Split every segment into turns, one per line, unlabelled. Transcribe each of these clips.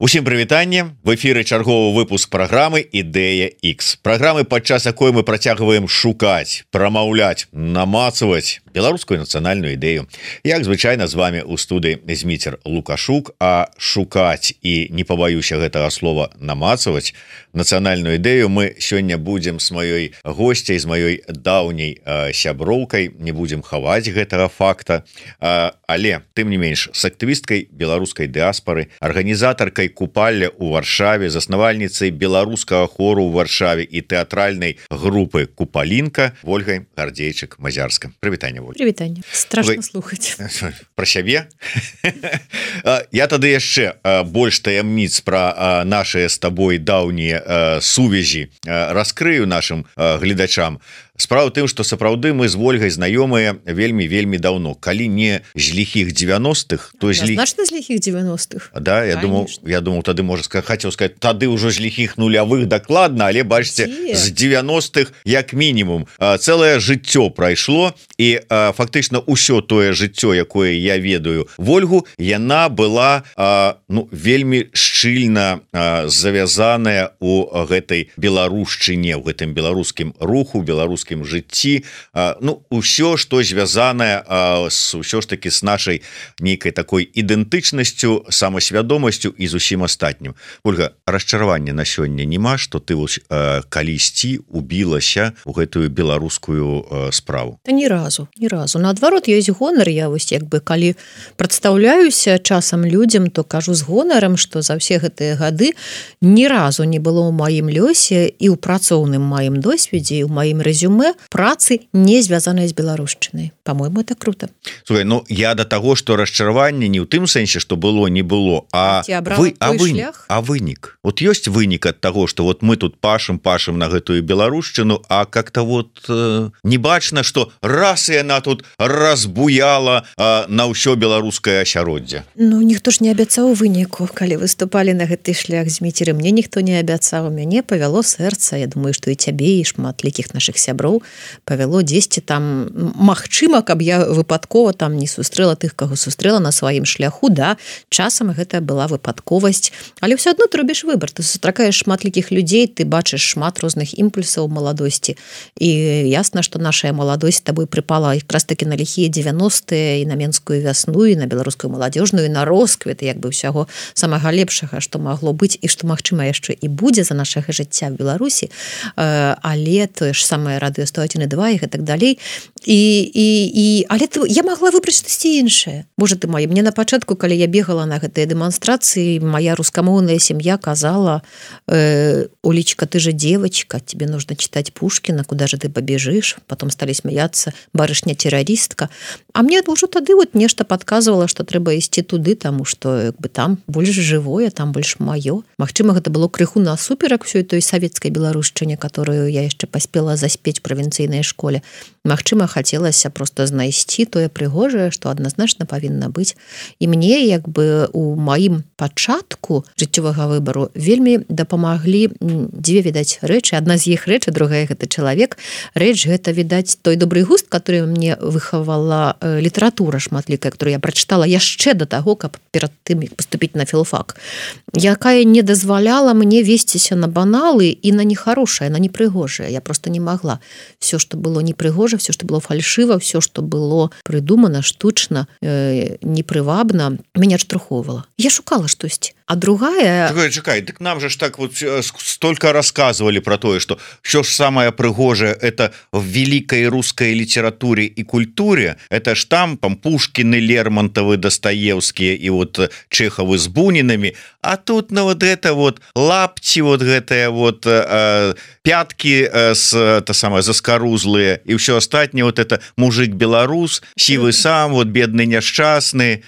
Усім прывітанне, в эфіры чарговы выпуск праграмы Ідэя X. Праграмы, падчас якой мы працягваем шукаць, прамаўляць, намацаваць беларускую нацыянальную ідэю. Як звычайна з вами у студыі Зміцер Лукашук, а шукаць і не пабаюся гэтага слова намацаваць нацыянальную ідэю мы сёння будзем з маёй госцяй, з маёй даўняй сяброўкай, не будзем хаваць гэтага факта, але тым не менш з актывісткай беларускай дыаспары, арганізатаркай купальля ў Варшаве, заснавальніцай беларускага хору ў Варшаве і тэатральнай групы Купалінка Вольгай Гардзейчык-Мазярска. Прывітанне, Воль.
Прывітанне. Страшна слухаць.
Пра сябе? Я тады яшчэ больш таямніц пра нашыя з табой даўнія сувязі раскрыю нашым гледачам. Справа ў тым, што сапраўды мы з Вольгай знаёмыя вельмі даўно. Калі не з ліхіх 90-х, то
значна з ліхіх 90-х.
Да, я думаў тады можа хацеў сказаць, тады ўжо з ліхіх нулявых дакладна, але бачыце, з 90-х як мінімум цэлае жыццё прайшло, і фактычна ўсё тое жыццё, якое я ведаю Вольгу, яна была вельмі шчыльна завязаная у гэтай беларушчыне, у гэтым беларускім руху, беларускім жыцці, ўсё, што звязанае ўсё ж таки с нашай нейкай такой ідэнтычнасцю, самасвядомасцю і зусім астатнім. Ольга, расчаравання на сёння няма, што ты калісьці убілася ў гэтую беларускую справу?
Та ні разу. Наадварот, ёсць гонар. Я вось калі прадстаўляюся часам людзям, то кажу з гонарам, што за ўсе гэтыя гады ні разу не было ў маім лёсе і ў працоўным маім досведзе, і ў маім рэзюмэ працы не звязаныя з беларушчынай. По-моему, это круто.
Слухай, я да таго, што расчараванне не ў тым сэнсе, што было, не было, а вынік. Вот ёсць вынік ад таго, што вот мы тут пашам на гэтую беларушчыну, а как-то вот не бачна, што раз і яна тут разбуяла на ўсё беларускае асяроддзе.
Ніхто ж не абяцаў выніку, калі выступалі на гэты шлях з Міцеры. Мне ніхто не абяцаў, мяне павяло сэрца. Я думаю, што і цябе, і шмат лікіх наших сяброў павяло дзесьці там, магчыма, каб я выпадкова там не сустрэла тых, каго сустрэла на сваім шляху, да, часам гэта была выпадковасць, але ўсё адно ты робіш выбар, ты сустракаеш шматлікіх людзей, ты бачыш шмат розных імпульсаў маладосці, і ясна, што нашая маладосць з табой прыпала якраз таки на ліхія 90-е, і на менскую вясну, і на беларускую маладзёжную, і на росквіт, як бы ўсяго самага лепшага, што магло быць, і што, магчыма, яшчэ і будзе за нашага жыцця в Беларусі, але тое ж самае радыё 101.2 і так далей. Але я могла выбраць штосьці іншае. Можа, ты мае. Мне на пачатку, калі я бегала на гэтыя дэманстрацыі, моя рускамоўная сям'я казала: Олечка, ты же девочка, тебе нужно читать Пушкина, куда же ты побежишь? Потом стали смеяться: барышня-террористка. А мне ўжо тады вот нешта подказывала, што трэба ісці туды, таму што там больш жывое, там больш маё. Магчыма, гэта было крыху насуперак всёй той савецкай беларушчыне, которую я яшчэ паспела заспець в правінцыйнай школе. Магчыма, хацелася просто знайсці тое прыгожае, што адназначна павінна быць. І мне у маім пачатку жыццёвага выбару вельмі дапамаглі дзве, відаць, рэчы. Адна з іх рэчы, другая гэта чалавек. Рэч гэта, відаць, той добры густ, который мне выхавала літаратура шматлікая, которую я прачытала яшчэ да таго, каб перад тым паступіць на філфак, якая не дазваляла мне весціся на баналы і на нехарошае, на непрыгожае. Я просто не могла. Все, что было непрыгожа, все, что было фальшыва, все, что было прыдумана штучна, непрывабна, мяне адштурхоўвала. Я шукала штосьці. А другая...
Чакай, так нам же ж так вот столько рассказывали про то, что все ж самое прыгожее это в великой русской литературе и культуре, это ж там Пушкины, Лермонтовы, Достоевские и вот Чеховы с Бунинами, а тут вот это вот лапти, вот гэтые вот пятки заскорузлые и все остальное, вот это мужик-белорус, сивый сам, вот бедный несчастный.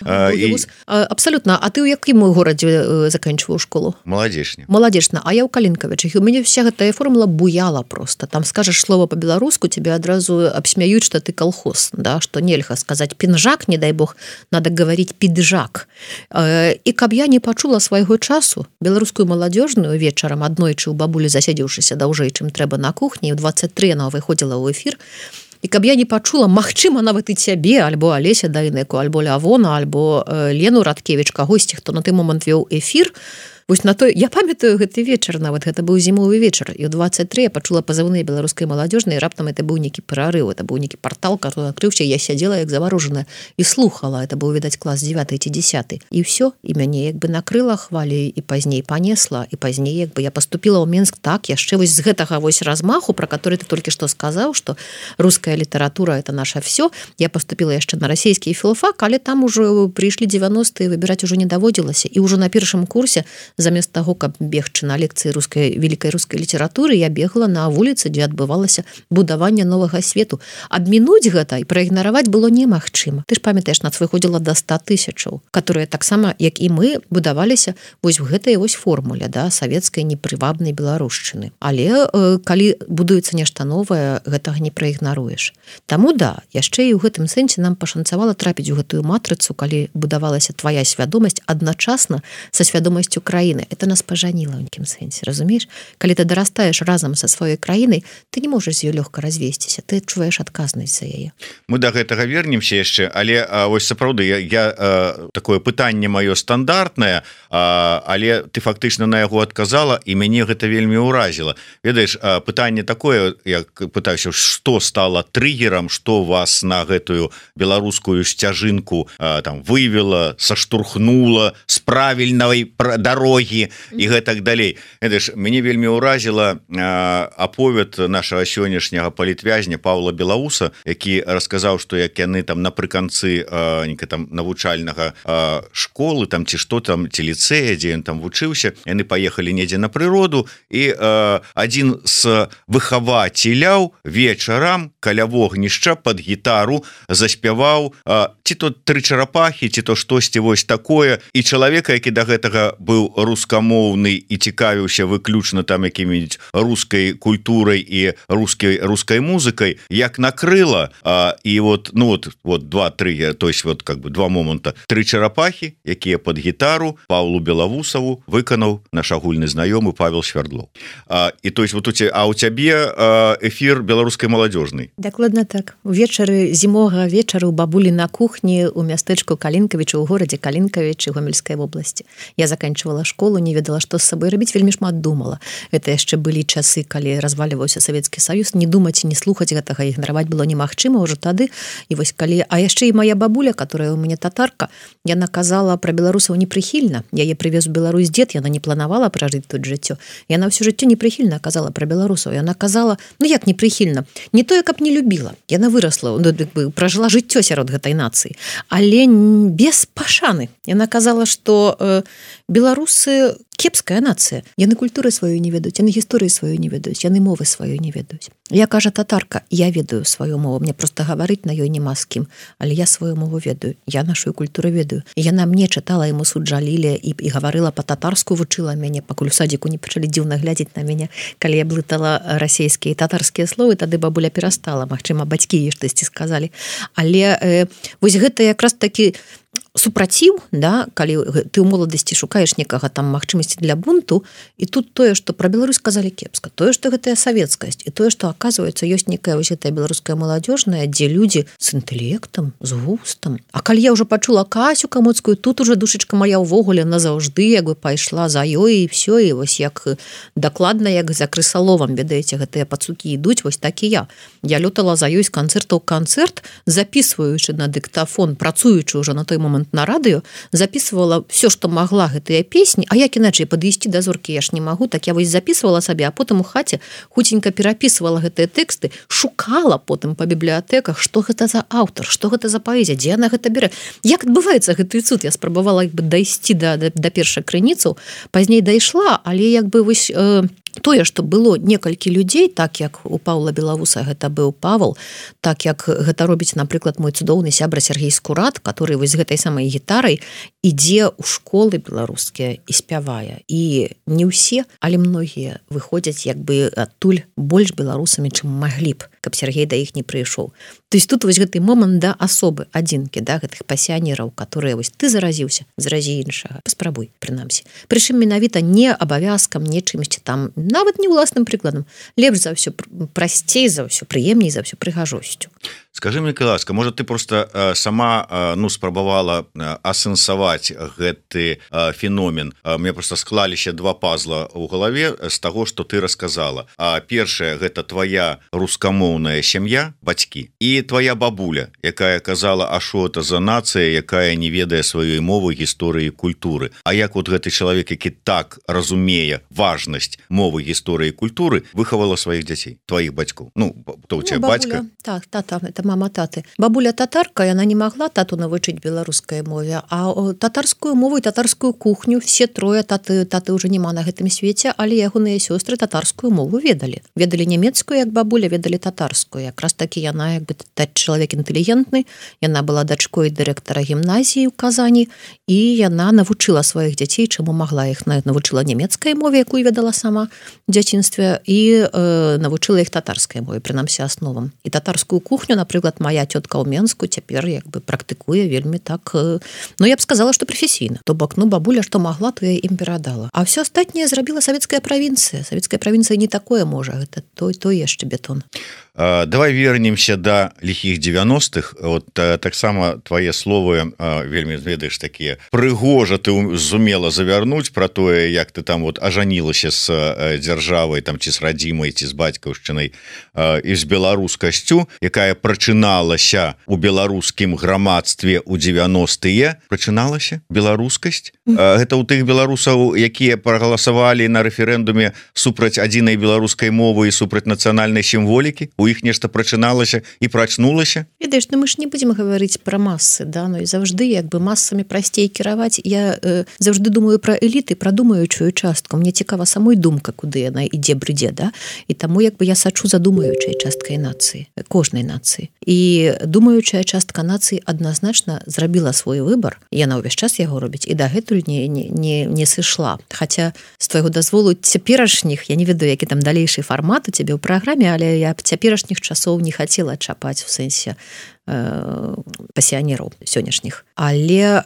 Абсолютно. А ты у якім горадзе заканчиваю школу?
Молодежна.
А я у Калинковичах. И у меня вся эта формула буяла просто. Там скажешь слово по-белорусски, тебе одразу обсмеют, что ты колхоз, да, что нельзя сказать пинжак, не дай бог, надо говорить пиджак. И каб я не почула свайго часу, беларускую маладзёжную вечарам аднойчы у бабулі засядзеўшыся даўжэй, чым трэба на кухні, у 23 она выходзіла ў эфір, і каб я не пачула, магчыма, нават і цябе, альбо Алеся Дайнеку, альбо Лявона, альбо Лену Радкевіч, кагосьці, хто на той момант вёў эфір, Вось на той я памятаю гэты вечар, нават гэта быў зімовы вечар, і ў 23 я пачула пазывныя беларускай маладзёжнай, раптам это быў нейкі прарыў, это быў нейкі партал, который адкрыўся, я сядзела як заварожаная і слухала, это быў, відаць, клас 9 ці 10. І ўсё, і мяне як бы накрыла хваляй, і пазней панесла, і пазней як бы я паступіла ў Менск так, яшчэ вось з гэтага вось размаху, про который ты толькі што сказаў, што руская літаратура это наша все. Я поступила яшчэ на расійскі філфак, але там ужо прыйшлі 90-е, выбіраць ужо не даводзілася, і ўжо на першым курсе замест таго, каб бегчы на лекцыі вялікай рускай літаратуры, я бегла на вуліцы, дзе адбывалася будаванне новага свету. Абмінуць гэта і праігнараваць было немагчыма. Ты ж памятаеш, нас выходзіла до 100 000, которые таксама, як і мы, будаваліся вось в гэтай вось формуле, да, савецкай непрывабнай беларушчыны. Але калі будуецца нешта новае, гэтага не праігнаруеш. Таму да, яшчэ і ў гэтым сэнсе нам пашанцавала трапіць у гэтую матрыцу, калі будавалася твая свядомасць адначасна са свядомасцю краіны. Это нас пажаніла ў нейкім сэнсе, разумееш? Калі ты дарастаеш разам са сваёй краінай, ты не можаш з ёй лёгка развесціся, ты адчуваеш адказнасць за яе.
Мы да гэтага вернемся яшчэ, але вось сапраўды я такое пытанне маё стандартнае, але ты фактычна на яго адказала, і мяне гэта вельмі ўразіла. Ведаеш, пытанне такое, я пытаюся, што стала триггером, што вас на гэтую беларускую сцяжынку там вывела, саштурхнула з правільнай дарогі і гэтак далей. Ведаеш, мяне вельмі ўразіла аповед нашага сённяшняга палітвязня Паўла Белауса, які расказаў, што як яны там напрыканцы там навучальнага школы там ці што там, ці ліцэя, дзе ён там вучыўся, яны паехалі недзе на прыроду, і адзін з выхавацеляў вечарам каля вогнішча пад гітару заспяваў ці то 3 чарапахі, ці то штосьці вось такое, і чалавека, які да гэтага быў рускамоўны і цікавіўся выключна там якімі рускай культурай і рускай музыкай, як накрыла, і вот 2-3, то есть вот как бы два моманта. 3 чарапахі, якія пад гітару Паўлу Белавусаву выканаў наш агульны знаёмы Павел Свярдлоў. І то есть вот у цябе эфір беларускай маладзёжнай.
Дакладна так. Увечары зімовага вечара у бабулі на кухні у мястэчку Калінкавіча, у горадзе Калінкавічы Гомельскай вобласці. Я заканчивала школу, не ведала, што з сабой рабіць, вельмі шмат думала. Это яшчэ былі часы, калі разваліваўся Савецкі Саюз, не думаць, не слухаць гэтага, ігнараваць было немагчыма ўжо тады. І вось калі, а яшчэ і моя бабуля, которая у мяне татарка, яна казала пра беларусаў непрыхільна. Яе прывез у Беларусь дзед, яна не планавала пражыць тут жыццё. Яна ўсё жыццё непрыхільна казала пра беларусаў. Яна казала, ну як непрыхільна? Не тое, каб не любіла. Яна вырасла, пражыла жыццё сярод гэтай нацыі, але без пашаны. Яна казала, што беларусы кепская нацыя. Яны культуры сваю не ведаюць, яны гісторыі сваю не ведаюць, яны мовы сваю не ведаюць. Я, кажа татарка, я ведаю сваю мову, мне проста гаварыць на ёй няма з кім, але я сваю мову ведаю, я нашу культуру ведаю. І яна мне чытала, яму суд жалілі і гаварыла па-татарску, вучыла мяне, пакуль у садзіку не пачалі дзіўна глядзець на мяне. Калі я блытала расійскія і татарскія словы, тады бабуля перастала, магчыма, бацькі ей штосьці сказалі. Але вось гэта якраз такі супраціў, да, калі ты ў моладасці шукаеш некага там магчымасці для бунту, і тут тое, што пра Беларусь казалі кепска, тое, што гэтая савецкасць, і тое, што, аказваецца, ёсць некая вось гэтая беларуская маладзёжная, дзе людзі з інтэлектам, з густам. А калі я ўжо пачула Касю Камоцкую, тут уже душачка моя ўвогуле назаўжды як бы пайшла за ёй, і все, і вось як дакладна, як за крысаловам, ведаеце, гэтыя пацукі ідуць, вось так і я. Я лётала за ёй з канцэрта ў канцэрт, записваючы на дыктафон, працуючы ўжо на той момант на радыё, записывала все, што магла гэтыя песні, а як іначай падысці да зоркі я ж не магу, так я вось записывала сабе, а потым у хаце хуценька перапісвала гэтыя тэксты, шукала потым па бібліятэках, што гэта за аўтар, што гэта за паэзія, дзе яна гэта бярэ. Як адбываецца гэты цуд? Я спрабавала як бы дайсці да першай крыніцаў, пазней дайшла, але як бы вось тое, што было некалькі людзей, так як у Паўла Белавуса гэта быў Павел, так як гэта робіць, напрыклад, мой цудоўны сябра Сергей Скурат, который вось гэтай самай гітарай ідзе ў школы беларускія і спявае. І не ўсе, але многія выходзяць як бы адтуль больш беларусамі, чым маглі б. каб Сергей да іх не прыйшоў. То есть тут вось гэты момант да асобы адзінкі, да, гэтых пасіянераў, которые вось ты заразіўся, заразі іншага, паспрабуй, прынамсі. Прычым менавіта не абавязкам, не чымсьці там, нават не ўласным прыкладам, лепш за ўсё, прасцей за ўсё, прыемней за ўсё, прыгажосцю.
Скажи мне, ласка, можа ты просто сама спрабавала асэнсаваць гэты феномен. Мне просто склаліся два пазла ў галаве з таго, што ты расказала. Першае, гэта твоя рускамоўная сям'я, бацькі, і твоя бабуля, якая казала, а што это за нацыя, якая не ведае сваёй мовы, гісторыі, культуры. А як вот гэты чалавек, які так разумее важнасць мовы, гісторыі, культуры, выхавала сваіх дзяцей, твоіх бацькоў? Ну, то у тебя бацька?
Так, это мама таты. Бабуля татарка, яна не могла тату навучыць беларускай мове, а татарскую мову і татарскую кухню все трое таты уже няма на гэтым свеце, але ягоныя сёстры татарскую мову ведалі. Ведалі нямецкую, як бабуля, ведалі татарскую. Якраз такі яна як бы чалавек інтэлігентны, яна была дачкой дырэктара гімназіі ў Казані, і яна навучыла сваіх дзяцей, чаму магла іх, навучыла нямецкай мове, якую ведала сама ў дзяцінстве, і навучыла іх татарскай мове, прынамсі асновам. І татарскую кухню, напрыклад, моя тётка ў Менску цяпер як бы практыкуе вельмі так, ну я б сказала, што прафесійна. То бок, ну бабуля што магла, то я ім перадала. А ўсё астатняе зрабіла савецкая правінцыя. Савецкая правінцыя не такое можа, гэта той яшчэ бетон.
Давай вернемся да ліхіх 90-х. Вот таксама твае словы вельмі, ведаеш, такія прыгожа ты зумела завярнуць пра тое, як ты там вот ажанілася з дзяржавай, там ці з радзімай, ці з бацькаўшчынай, і з беларускасцю, якая прачыналася у беларускім грамадстве ў 90-е. Прачыналася беларускасць. Гэта ў тых беларусаў, якія прагаласавалі на рэферэндуме супраць адзінай беларускай мовы і супраць нацыянальнай сімволікі. У іх нешта прачыналася і прачнулася.
Ведаеш, ну мы ж не будзем гаварыць пра масы, да, ну і заўжды як бы масамі прасцей кіраваць. Я заўжды думаю пра эліты, пра думаючую частку. Мне цікава самой думка, куды яна ідзе, брыдзе, да? І таму як бы я сачу за думаючай часткай нацыі, кожнай нацыі. І думаючая частка нацыі адназначна зрабіла свой выбар. Яна ўвесь час яго робіць і дагэтуль не сышла. Хаця з твайго дазволу цяперашніх, я не ведаю, які там далейшы фармат у цябе ў праграме, але я цяперашніх часоў не хацела чапаць в сэнсе пасіянераў сённяшніх. Але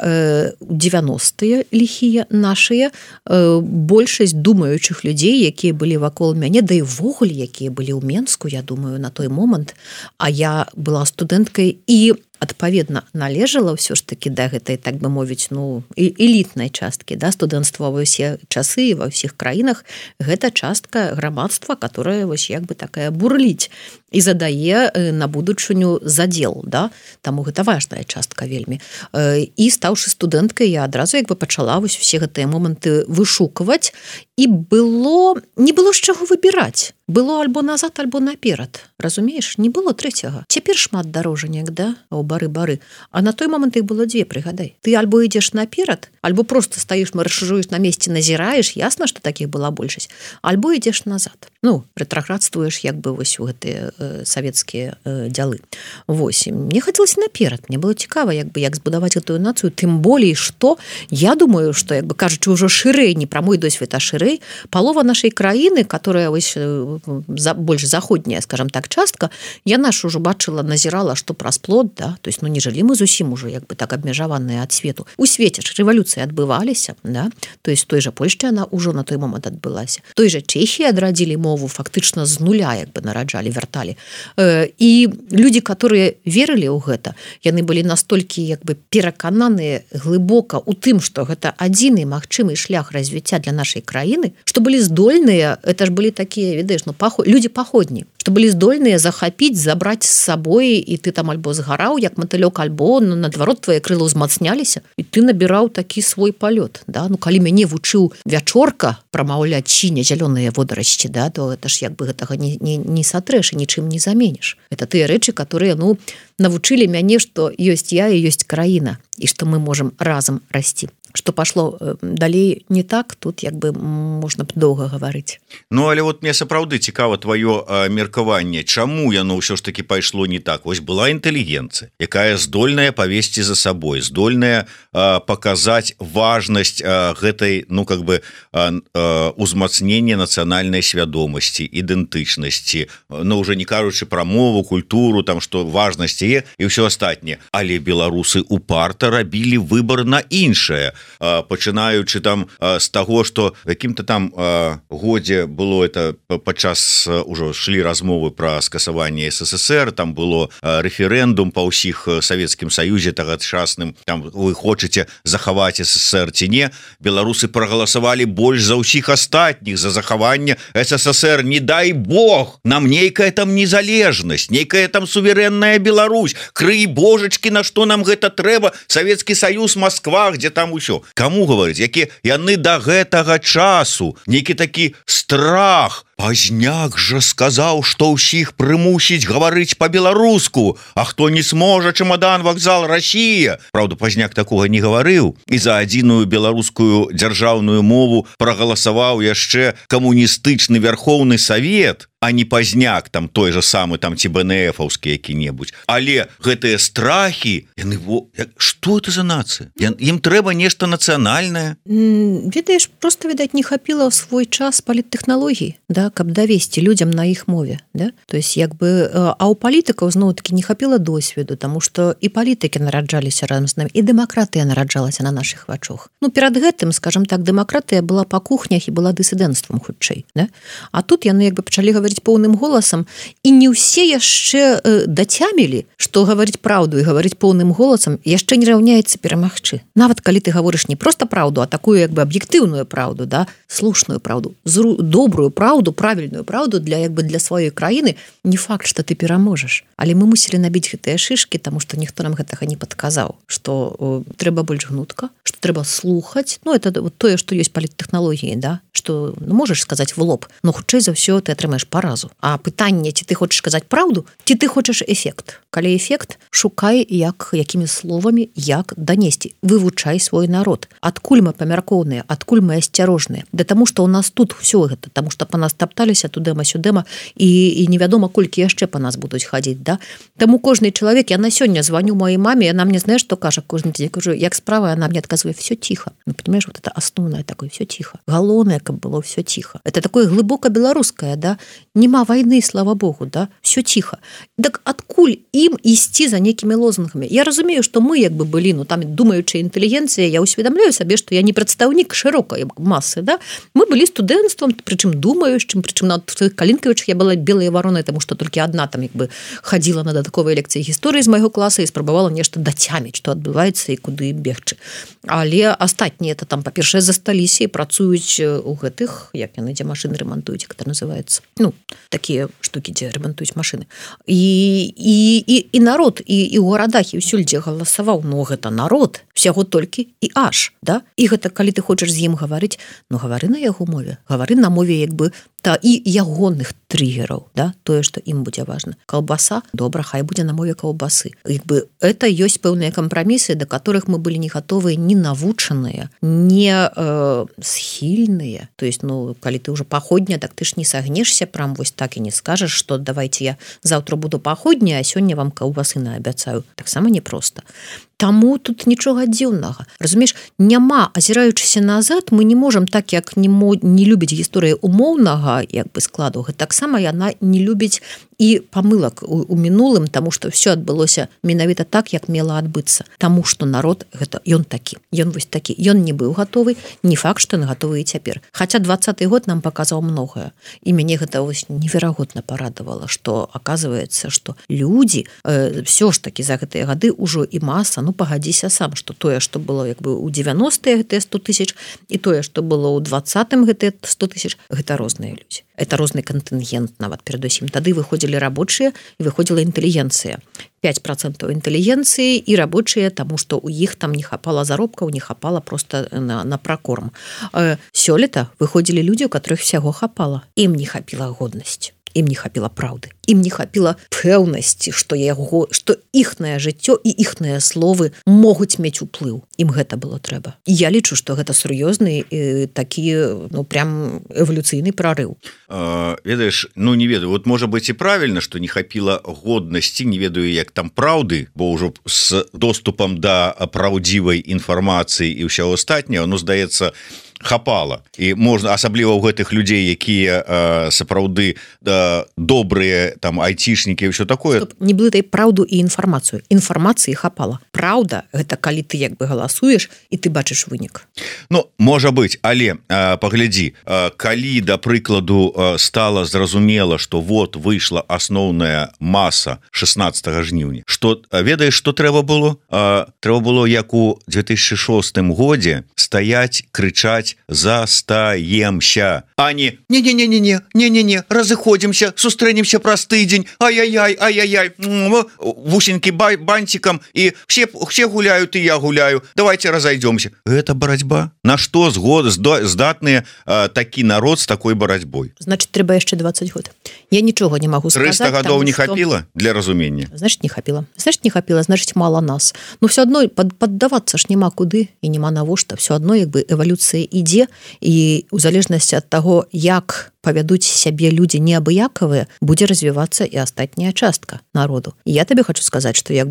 90-е ліхія нашыя, большасць думаючых людзей, якія былі вакол мяне, да і ўвогуле, якія былі ў Менску, я думаю, на той момант, а я была студэнткай і адпаведна належала ўсё ж такі да гэтай, так бы мовіць, ну, элітнай часткі, да, студэнцтва ва ўсе часы і ва ўсіх краінах, гэта частка грамадства, которая вось як бы такая бурліць і задае на будучыню задел, да, таму гэта важная частка вельмі. І стаўшы студэнткай, я адразу як бы пачала вось усе гэтыя моманты вышукваць, і не было з чаго выбіраць. Было альбо назад, альбо наперад. Разумееш, не было трэцяга. Цяпер шмат дарожанек, да, у бары-бары. А на той момант іх было дзве, прыгадай. Ты альбо ідзеш наперад, альбо просто стаіш, маршыруеш на месцы, назіраеш, ясна, што такіх была большасць, альбо ідзеш назад. Ну, рэтраградствуеш як бы вось у гэтыя савецкія дзялы. Вось, мне хацелася наперад. Мне было цікава, як бы, як збудаваць гэтую нацыю, тым болей, што я думаю, што, як бы кажучы, ўжо шырэй, не пра мой досвед, а шырэй, палова нашай краіны, которая вось больш заходняя, скажем так, частка, яна ж ужо бачыла, назірала, што праз плод, да, то есть, ну, не жылі мы зусім уже, як бы так абмежаваныя ад свету. У свеце ж рэвалюцыі адбываліся, да, то есть, той жа Польшчы яна ўжо на той момант адбылася. Той жа Чэхіі адрадзілі мову, фактычна з нуля, як бы нараджалі, вярталі. І людзі, которые верылі ў гэта, яны былі настолькі, як бы, перакананыя глыбока ў тым, што гэта адзіны магчымы шлях развіцця для нашай краіны, што былі здольныя, это ж былі такія, ведаеш, ну, людзі паходні, што былі здольныя захапіць, забраць з сабой, і ты там альбо згараў, як матылёк, альбо, ну, наадварот, твае крылы ўзмацняліся, і ты набіраў такі свой палёт, да? Ну, калі мяне вучыў Вячорка прамаўляць сіня зялёныя водарасці, да, то гэта ж як бы гэтага не сатрэш і нічым не заменіш. Это тыя рэчы, которые, ну, навучылі мяне, што ёсць я і ёсць краіна, і што мы можам разам расці. что пошло далей не так, тут як бы можна б доўга гаварыць.
Ну але вот мне сапраўды цікава твоё меркаванне, чаму яно ўсё ж таки пайшло не так. Вось была інтэлігенцыя, якая здольная павесці за сабой, здольная паказаць важнасць гэтай, ну как бы узмацнення нацыянальнай свядомасці, ідэнтычнасці, ну уже не кажучы пра мову, культуру, там што важнасць яе і ўсё астатняе. Але беларусы упарта рабілі выбор на іншае, пачынаючы там з таго, што якім-то там годзе было это падчас ужо шлі размовы пра скасаванне СССР, там было рэферэндум па ўсіх Савецкім Саюзе тагачасным, там вы хочаце захаваць СССР ці не, беларусы прагаласавалі больш за ўсіх астатніх за захаванне СССР. Не дай Бог нам нейкая там незалежнасць, нейкая там суверэнная Беларусь, крый божачкі, на што нам гэта трэба, Савецкі Саюз, Москва, где там усё. Каму гаварыць, які яны да гэтага часу, нейкі такі страх. Пазняк жа сказаў, што ўсіх прымусіць гаварыць па-беларуску, а хто не сможа, чемодан, вакзал, Россия. Праўда, Пазняк такога не гаварыў і за адзіную беларускую дзяржаўную мову прагаласаваў яшчэ камуністычны Верховны Савет, а не Пазняк, там той же самы там ці БНФаўскі які-небудзь. Але гэтыя страхі, яны, што это за нацыя? Ім трэба нешта нацыянальнае.
Ведаеш, просто, відаць, не хапіла ў свой час паліттэхналогій, да, каб давесці людзям на іх мове, да? То есть як бы, а ў палітыкаў зноў-такі не хапіла досведу, таму што і палітыкі нараджаліся разам з намі, і дэмакратыя нараджалася на нашых вачах. Ну, перад гэтым, скажем так, дэмакратыя была па кухнях і была дысідэнцтвам хутчэй, да? А тут яны як бы пачалі гаварыць поўным голасам, і не ўсе яшчэ дацямілі, што гаварыць праўду і гаварыць поўным голасам яшчэ не раўняецца перамагчы. Нават калі ты гаворыш не проста праўду, а такую як бы аб'ектыўную праўду, да, слушную праўду, добрую праўду, правільную праўду для як бы для сваёй краіны, не факт, што ты пераможаш. Але мы мусілі набіць гэтыя шышкі, таму што ніхто нам гэтага не падказаў, што трэба больш гнутка, што трэба слухаць. Ну, это вот тое, што ёсць паліттэхналогіі, да, што ну, можаш сказаць в лоб, но хутчэй за ўсё ты атрымаеш паразу. А пытанне, ці ты хочаш сказаць праўду, ці ты хочаш эфект. Калі эфект, шукай якімі словамі, як данесці. Вывучай свой народ. Адкуль мы памяркоўныя, адкуль мы асцярожныя. Да таму, што ў нас тут ўсё гэта, таму што па нас тапталіся тудэма-сюдэма і невядома, колькі яшчэ па нас будуць хадзіць, да? Таму кожны чалавек, я на сёння звоню маёй маме, яна мне, знаеш, што кажа кожны дзень, кажу, як справа, она мне адказвае, всё тихо. Ну, понимаешь, вот это основное такое, всё тихо. Галоўнае, каб было всё тихо. Это такое глыбока беларускае, да? Нема войны, слава Богу, да? Всё тихо. Так адкуль ім ісці за нейкімі лозунгамі? Я разумею, што мы як бы былі, ну, там думаючая інтэлігенцыя, я усведамляю сабе, што я не прадстаўнік шырокай масы, да? Мы былі студэнцтвам, прычым думаючым, прычым на Калінкавічах я была белая варонай, таму што толькі адна там як бы хадзіла на дадатковыя лекцыі гісторыі з майго класа і спрабавала нешта дацяміць, што адбываецца і куды бегчы. Але астатнія это там, па-першае, засталіся і працуюць у гэтых, як яны, дзе машыны рамантуюць, як это называецца. Ну, такія штукі, дзе рамантуюць машыны. І народ, і ў гарадах, і ўсюль, дзе галасаваў, ну, гэта народ, всяго толькі і аж, да? І гэта, калі ты хочаш з ім гаварыць, ну, гавары на яго мове, гавары на мове, як бы, та і ягонных триггераў, да, тое, што ім будзе важна. Каўбаса, добра, хай будзе на мове каўбасы. Як бы это ёсць пэўныя кампрамісы, да которых мы былі не гатовыя, не навучаныя, не схільныя. То есть, ну, калі ты ўжо паходня, так ты ж не сагнешся прям вось так і не скажаш, што давайте я заўтра буду паходня, а сёння вам каўбасы наабяцаю. Таксама непроста. Таму тут нічога дзіўнага. Разумееш, няма, азіраючыся назад, мы не можам так, як не любіць гісторыя умоўнага як бы складу. Таксама яна не любіць і памылак у мінулым, таму што ўсё адбылося менавіта так, як мела адбыцца. Таму што народ гэта ён такі. Ён вось такі. Ён не быў гатовы, не факт, што ён гатовы і цяпер. Хаця 20-й год нам паказаў многае. І мяне гэта вось неверагодна парадавала, што аказваецца, што людзі всё ж такі за гэтыя гады ўжо і маса, ну пагадзіся сам, што тое, што было як бы ў 90-е гэтыя 100 000 і тое, што было ў 20-м гэтыя 100 000, гэта розныя людзі. Это розны кантынгент нават перадусім. Тады выходзілі рабочыя і выходзіла інтэлігенцыя. 5% інтэлігенцыі і рабочыя, таму што ў іх там не хапала заробкаў, не хапала просто на пракорм. Сёлета выходзілі людзі, у которых всяго хапала. Ім не хапіла годнасць. ім не хапіла праўды, ім не хапіла пэўнасці, што іхнае жыццё і іхныя словы могуць мець уплыў. Ім гэта было трэба. І я лічу, што гэта сур'ёзны такі, прям эвалюцыйны прарыў.
Ведаеш, не ведаю, вот можа быць і правільна, што не хапіла годнасці, не ведаю, як там праўды, бо ўжо з доступам да праўдзівай інфармацыі і ўсяго астатняго, здаецца, хапала. І можна, асабліва ў гэтых людзей, якія сапраўды добрыя там айцішнікі і ўсё такое.
Стоп, не блытай праўду і інфармацыю. Інфармацыі хапала. Праўда гэта калі ты як бы галасуеш і ты бачыш вынік.
Можа быць, але паглядзі, калі да прыкладу стала зразумела, што вот выйшла асноўная маса 16 жніўня, што ведаеш, што трэба было? Трэба было, як у 2006 годзе стаяць, крычаць: застаемся, а не не, разыходзімся, сустрэнемся праз тыдзень, ай-яй-яй, вусенькі бантикам, і все гуляют, і я гуляю, давайте разойдемся. Гэта барацьба. На што здатныя такі народ з такой барацьбой?
Значит, трэба яшчэ 20 год. Я нічога не магу сказаць.
300 гадоў не хапіла для разумення?
Значит, не хапіла. Значит, мала нас. Но все адно паддавацца ж няма куды і няма навошта. Все адно як бы эвалюцыя ідзе, і у залежнасці ад таго, як павядуць сябе людзі неабыякавыя, будзе развівацца і астатняя частка народу. І я табе хочу сказаць, што як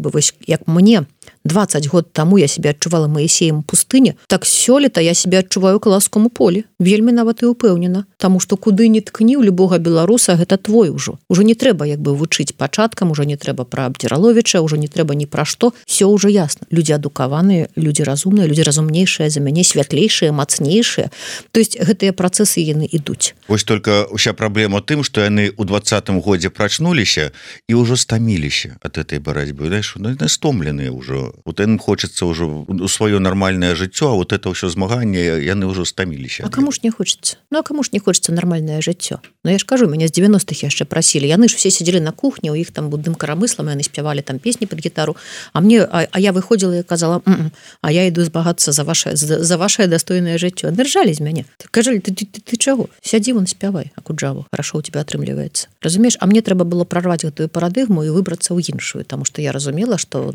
мне 20 год таму я себе адчувала Маісеем пустыне, так сёлета я себе адчуваю каласкому полі. Вельмі нават і упэўнена. Таму што куды не ткні ў любога беларуса, гэта твой ужо. Ужо не трэба як бы вучыць пачаткам, ужо не трэба пра Абдзіраловіча, ужо не трэба ні пра што. Всё ўжо ясна. Людзі адукаваныя, людзі разумныя, людзі разумнейшыя за мяне, святлейшыя, мацнейшыя. То есть гэтыя працэсы яны ідуць.
Вось только ўся праблема тым, што яны ў 20-м годзе прачнуліся і ўжо стаміліся ад этой барацьбы. Яны стомленыя ўжо. Вот им хочется уже у свое нормальное жыццё, а вот это ўсё змаганне, яны ўжо стаміліся.
А кому ж не хочется? А кому ж не хочется нормальное жыццё? Я ж кажу, мяне з 90-х яшчэ прасілі. Яны ж все сидели на кухне, у іх там будым карамыслам, яны спявалі там песні под гітару, а я выходзіла і казала: а я іду збагацца за ваше достойное жыццё. Держали з мяне. Кажалі: ты чаго? Сядзі вон, спявай, Акуджаву. Хорошо у тебя атрымліваецца. Разумееш, а мне трэба было прорваць гэтую парадыгму і выбрацца ў іншую, таму што я разумела, што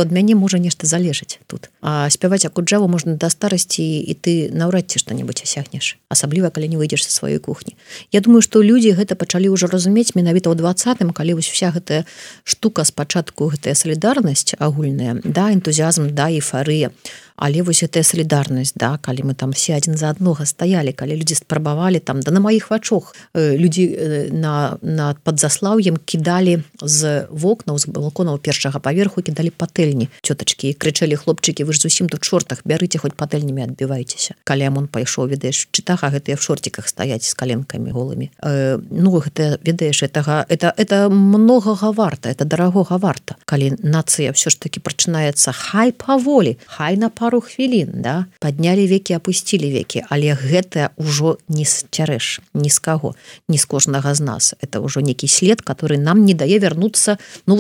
ад мяне можа нешта залежыць тут. А спяваць Акуджаву можна да старасці, і ты наўрад ці што-небудзь асягнеш, асабліва калі не выйдзеш са сваёй кухні. Я думаю, што людзі гэта пачалі ўжо разумець менавіта ў 20-м, калі вось вся гэтая штука спачатку, гэтая салідарнасць агульная, да, энтузіазм, да, эйфарыя. Але вось гэтая салідарнасць, да, калі мы там все адзін за аднога стаялі, калі людзі спрабавалі там, да на маіх вачах людзі на падзаслаўем кідалі з вокнаў, з балконаў першага паверху, кідалі патэльні цётачкі і крычалі: хлопчыкі, вы ж зусім тут шортах, бярыце хоць патэльнямі, адбівайцеся. Калі Амон пайшоў, ведаеш, чытаха гэтыя в шортиках стаяць з каленкамі голымі. Гэта, ведаеш, это многога варта, это дарагога варта. Калі нацыя ўсё ж таки прачынаецца хай паволі, хай на пару хвілін, да, паднялі векі, апусцілі векі, але гэта ўжо не сцярэш ні з каго, ні з кожнага з нас. Это ўжо нейкі след, который нам не дае вярнуцца,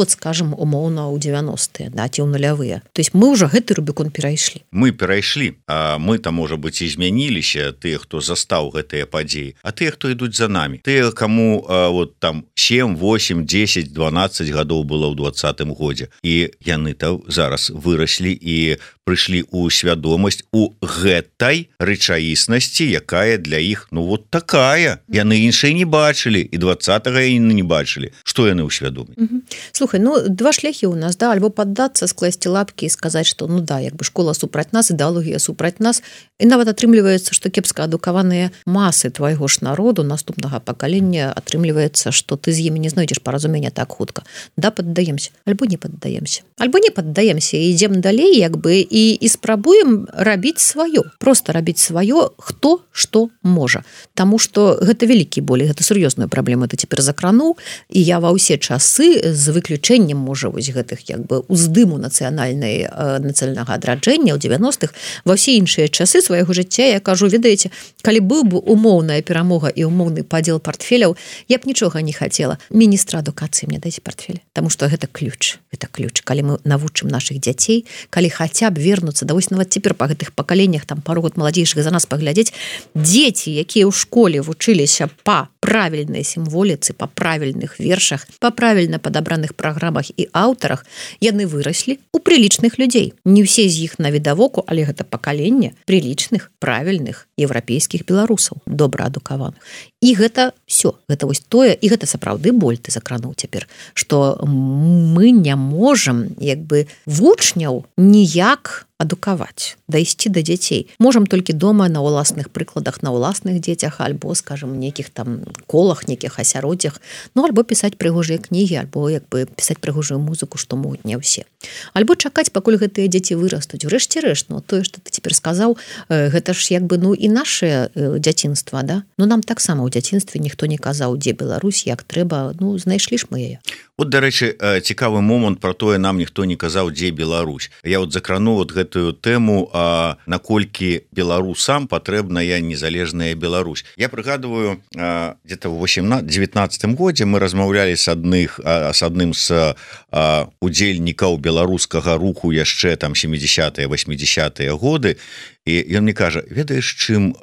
скажем, умоўна ў 90-е, да, ці ў нулявыя. То есть мы ўжо гэты рубікон перайшлі.
Мы перайшлі, а мы там, можа быць, і змяніліся, тыя, хто застаў гэтыя падзеі, а тыя, хто ідуць за намі. Тыя, каму вот там 7, 8, 10, 12 гадоў было ў 20-м годзе. І яны-то зараз выраслі і прыйшлі у свядомасць у гэтай рэчаіснасці, якая для іх, вот такая. Яны іншай не бачылі, і 20-го яны не бачылі. Што яны ўсвядомілі?
Слухай, два шляхі у нас, да, альбо паддацца, скласці лапкі і сказаць, што да, як бы школа супраць нас, ідэалогія супраць нас, і нават атрымліваецца, што кепска адукаваныя масы твайго ж народу, наступнага пакалення, атрымліваецца, што ты з імі не знойдзеш паразумення так хутка. Да, паддаемся, альбо не паддаемся. Альбо не паддаемся і ідзем далей, як бы, і спрабуем рабіць сваё, просто рабіць сваё, хто што можа. Таму што гэта вялікі боль, гэта сур'ёзную праблему ты цяпер закрануў, і я ва ўсе часы з выключэннем, можа, вось гэтых як бы уздыму нацыянальнага адраджэння ў 90-х, ва ўсе іншыя часы свайго жыцця, я кажу, ведаеце, калі быў бы умоўная перамога і умоўны падзел портфеляў, я б нічога не хацела. Міністра адукацыі мне дайце портфель, таму што гэта ключ. Калі мы навучым нашых дзяцей, калі хаця б вернуцца, да вось нават цяпер па гэтых пакаленнях, там пару год маладзейшых за нас паглядзець, дзеці, якія ў школе вучыліся па правільнай сімволіцы, па правільных вершах, па правільна падабраных праграмах і аўтарах, яны выраслі у прылічных людзей. Не ўсе з іх навідавоку, але гэта пакаленне прылічных, правільных еўрапейскіх беларусаў, добра адукаваных. І гэта все, гэта вось тое, і гэта сапраўды боль ты закрануў цяпер, што мы не можам вучняў ніяк адукаваць, дайсці да дзяцей. Можам толькі дома на ўласных прыкладах, на ўласных дзецях, альбо, скажем, нейкіх там колах, нейкіх асяроддзях, альбо пісаць прыгожыя кнігі, альбо пісаць прыгожую музыку, што могуць не ўсе. Альбо чакаць, пакуль гэтыя дзеці вырастуць. Урэшце рэшт, тое, што ты цяпер сказаў, гэта ж і наше дзяцінства, да? Нам таксама ў дзяцінстве ніхто не казаў, дзе Беларусь, як трэба, знайшлі ж мы яе.
Вот, дарэчы, цікавы момант про тое, нам ніхто не казаў, дзе Беларусь. Я крану гэтую тэму, наколькі беларусам патрэбная незалежная Беларусь. Я прыгадываю, где-то в 19 годзе мы размаўлялі с адным з удзельнікаў беларускага руху яшчэ там 70-е, 80-е годы, і ён мне кажа, ведаеш, чым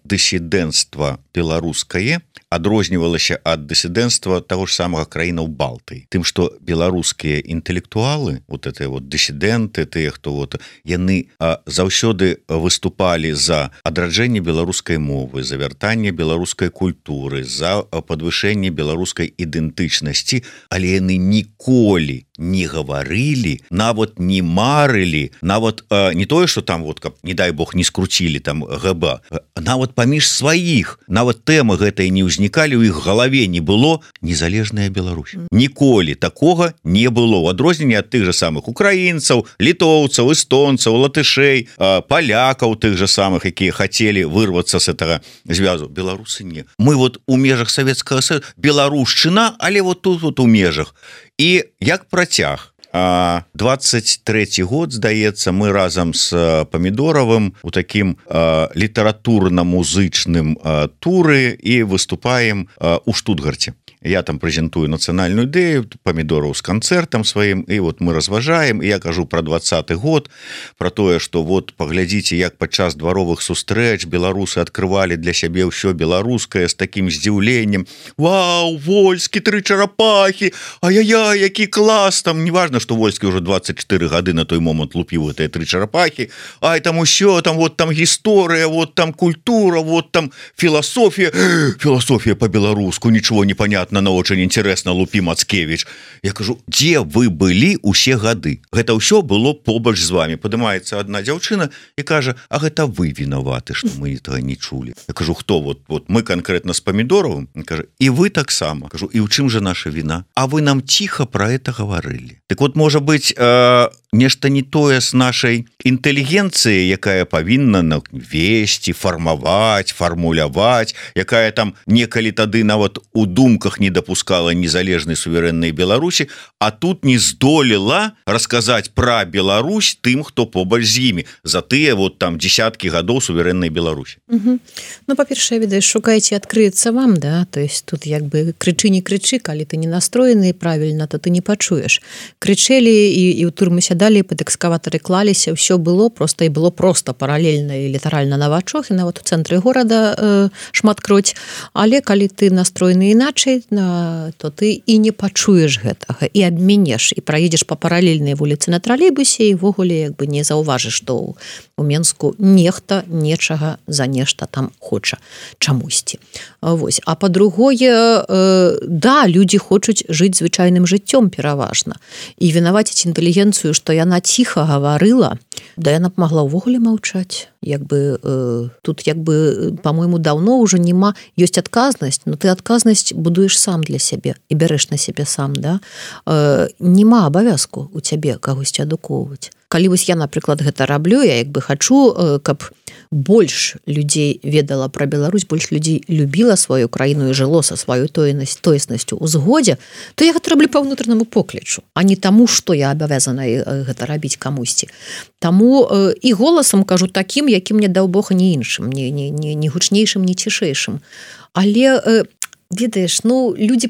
дысідэнцтва беларускае адрознівалася ад дысідэнцтва таго ж самага краінаў Балтыі. Тым, што беларускія інтэлектуалы, дысідэнты, тыя, хто яны заўсёды выступалі за адраджэнне беларускай мовы, за вяртанне беларускай культуры, за падвышэнне беларускай ідэнтычнасці, але яны ніколі не гаварылі, нават не марылі, нават не тое, што там, каб, не дай Бог, не скруцілі там ГБ, нават паміж сваіх, нават тэмы гэтай не ўзнікалі, у іх галаве не было незалежная Беларусь. Ніколі такога не было. У адрозненне ад тых жа самых украінцаў, літоўцаў, эстонцаў, латышэй, палякаў тых жа самых, якія хацелі вырвацца з гэтага звязу. Беларусы не. Мы у межах Савецкага Саюза, беларушчына, але тут у межах. І як працяг, 23 год, здаецца, мы разам з Памідоравым у такім літаратурна-музычным туры і выступаем у Штутгарце. Я там прэзентую нацыянальную ідэю, Памідораў з канцэртам сваім, і мы разважаем, і я кажу про 20-й год, про тое, што паглядзіце, як падчас дваровых сустрэч беларусы адкрывалі для сябе ўсё беларускае з такім здзіўленнем. Вау, Вольскі, 3 чарапахі, ай-яй-яй, які клас, там неважна, што Вольскі ўжо 24 гады на той момант лупіў гэтыя 3 чарапахі, ай, там усё, там там гісторыя, там культура, там філасофія по-беларуску, нічого не понятно, но очень интересно, лупі Мацкевич. Я кажу, дзе вы былі ўсе гады? Гэта ўсё было побач з вами. Падымаецца одна дзяўчына і кажа, а гэта вы вінаваты, што мы этого не чулі. Я кажу, хто? Мы конкретно з Памідоравым? Кажа, і вы таксама. Кажу, і ў чым же наша віна? А вы нам тихо про это говорили. Так можа быть, нешта не тое з нашай інтэлігенцыі, якая павінна весці, фармаваць, фармуляваць, якая там некалі тады нават у думках не дапускала незалежнай суверэннай Беларусі, а тут не здолела расказаць пра Беларусь тым, хто побач з імі, за тыя там десяткі гадоў суверэннай Беларусі.
Па-першае, ведаеш, шукайце, адкрыецца вам, да, то есть тут крычы не крычы, калі ты не настроены правільна, то ты не пачуеш. Крычэлі і ў турмы сядалі, пад экскаватары клаліся, ўсё было просто паралельна і літаральна на вачох, і нават у цэнтры горада шматкроць, але калі ты настроены іначай, то ты і не пачуеш гэтага, і абменеш, і праедзеш па паралельнай вуліцы на тралейбусе, і ввогуле не заўважыш, што у Менску нехта нечага за нешта там хоча чамусьці. А па-другое, да, людзі хочуць жыць звычайным жыццём пераважна, і вінаваціць інтэлігенцыю, што яна ціха гаварыла, да яна б магла ўвогуле маўчаць. Тут по-моему, даўно ўжо нема, ёсць адказнасць, но ты адказнасць будуеш сам для сябе і бярэш на сябе сам, да? Нема абавязку у цябе кагосьці адукоўваць. калі вось я, напрыклад, гэта раблю, я як бы хачу, каб больш людзей ведала пра Беларусь, больш людзей любіла сваю краіну і жыло са сваёй тоеснасцю ў згодзе, то я гэта раблю па ўнутранаму поклічу, а не таму, што я абавязана гэта рабіць камусьці. Таму і голасам кажу такім, якім мне даў Бог, не іншым, не гучнейшым, не цішэйшым. Але ведаеш, ну, людзі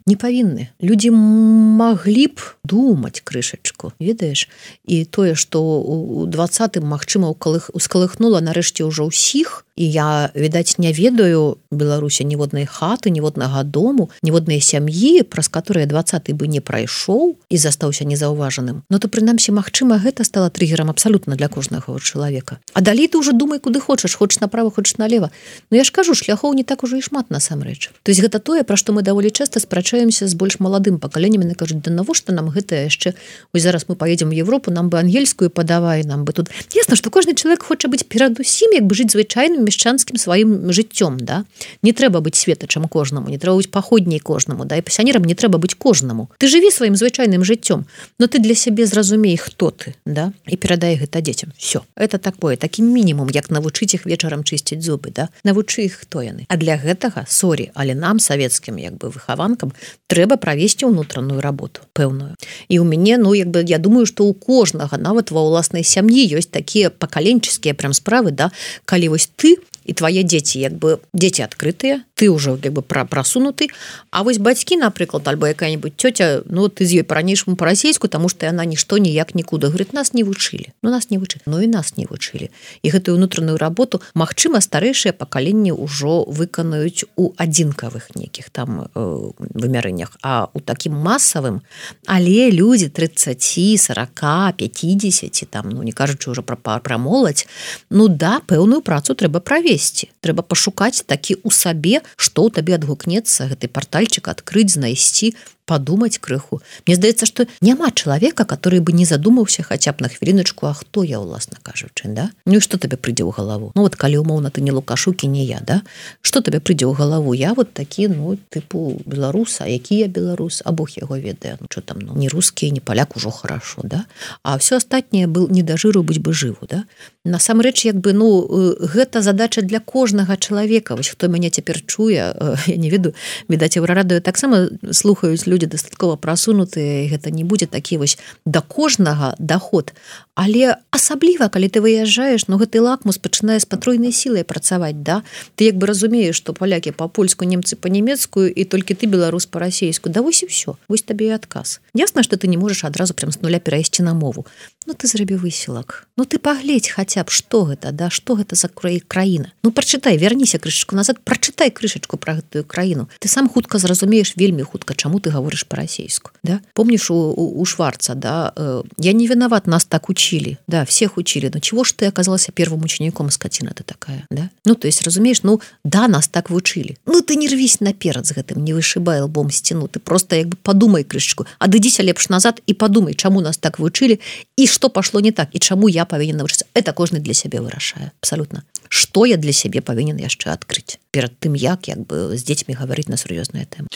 не павінны. Людзі маглі б думаць крышачку, ведаеш? І тое, што ў 20-м, магчыма, ускалыхнула нарэшце ўжо ўсіх, і я, відаць, не ведаю Беларусі ніводнай хаты, ніводнага дому, ніводнай сям'і, праз которые 20-й бы не прайшоў і застаўся незаўважаным. Ну, то, прынамсі, магчыма, гэта стала триггерам абсалютна для кожнага чалавека. А далей ты ўжо думай, куды хочаш направа, хочаш налева. Ну, я ж кажу, шляхоў не так ужо і шмат насамрэч. То есть гэта тое, пра што мы даволі часта спрачаемся з больш маладым пакаленнем, і кажуць, да навошта нам гэта яшчэ, ось зараз мы паедзем у Европу, нам бы ангельскую падавай, нам бы тут. Ясна, што кожны чалавек хоча быць перадусім, як бы жыць звычайным мешчанскім сваім жыццём, да? Не трэба быць светачам кожнаму, не трэба быць паходняй кожнаму, да, і пасянерам не трэба быць кожнаму. Ты жыві сваім звычайным жыццём, но ты для сябе зразумей, хто ты, да, і перадай гэта дзецям. Всё. Это такое, такі мінімум, як навучыць іх вечарам чысціць зубы, да? Навучы іх, хто яны. А для гэтага, сорі, але нам, савецкім, як бы выхаванкам, трэба правесці ўнутраную работу, пэўную. І ў мяне, ну, як бы, я думаю, што ў кожнага, нават ва ўласнай сям'і ёсць такія пакаленческія прям справы, да, калі вось ты і твае дзеці, як бы, дзеці адкрытыя, ты ўжо, як бы, прасунуты, а вось бацькі, напрыклад, альбо якая-нибудь цёця, ну, ты з ёй па-ранейшаму па-расейску, таму што яна нішто ніяк нікуды. Говорит, нас не вучылі. Ну, нас не вучылі. Ну, і нас не вучылі. І гэтую ўнутраную работу, магчыма, старэйшыя пакаленні ўжо выканаюць у адзінкавых нейкіх там вымярэннях, а у такім масавым, але людзі 30, 40, 50, там, ну, не кажучы ўжо пра моладзь, ну, да, пэўную працу трэба правесці. Трэба пашукаць такі ў сабе, што ў табе адгукнецца, гэты партальчык адкрыць, знайсці, подумать крыху. Мне здаецца, што няма чалавека, который бы не задумаўся хаця б на хвіліначку, а хто я, уласна кажучы, да? Ну і што табе прыйдзе ў галаву? Ну вот калі умоўна ты не Лукашук і не я, да? Што табе прыйдзе ў галаву? Я вот такі, ну, тыпу беларус, а які я беларус? А Бог яго ведае. Ну, што там, ну, не рускі, не паляк ужо хорошо, да? А все астатняе был не да жыру быць бы жыву, да? Насамрэч, як бы, ну, гэта задача для кожнага чалавека. Вось хто мяне цяпер чуе, я не ведаю, відаць, Еўрарадыё таксама слухаюць людзі дастаткова прасунутыя, гэта не будзе такі вось да кожнага даход. Але асабліва, калі ты выязджаеш, ну, гэты лакмус пачынае з патройнай сілай працаваць, да? Ты як бы разумееш, што палякі па-польску, немцы па-нямецкую, і толькі ты беларус па-расейску. Да вось і ўсё. Вось табе і адказ. Ясна, што ты не можаш адразу прям з нуля перайсці на мову. Ну, ты зрабі высілак. Ну, ты пагледзь хаця б, што гэта, да? Што гэта за краіна? Ну, прачытай, вярніся крышачку назад, прачытай крышачку пра гэтую краіну. Ты сам хутка зразумееш, вельмі хутка, чаму ты гаворыш па-расейску, да? Помніш у Шварца, да? Я не виноват, нас так учили, да, всех учили, но чего ж ты оказался первым учеником, скотина ты такая, да? Ну, то есть, разумеешь, ну, да, нас так вучили. Ну, ты не рвись наперад з гэтым, не вышибай лбом стену, ты просто як бы подумай крышечку, адыдзіся лепш назад і подумай, чаму нас так вучили, і што пашло не так, і чаму я павінен навучыцца. Это кожны для сябе вырашае, абсолютно. Што я для сябе павінен яшчэ адкрыць перад тым, як бы з дзецьмі гаварыць на сур'ёзныя тэмы.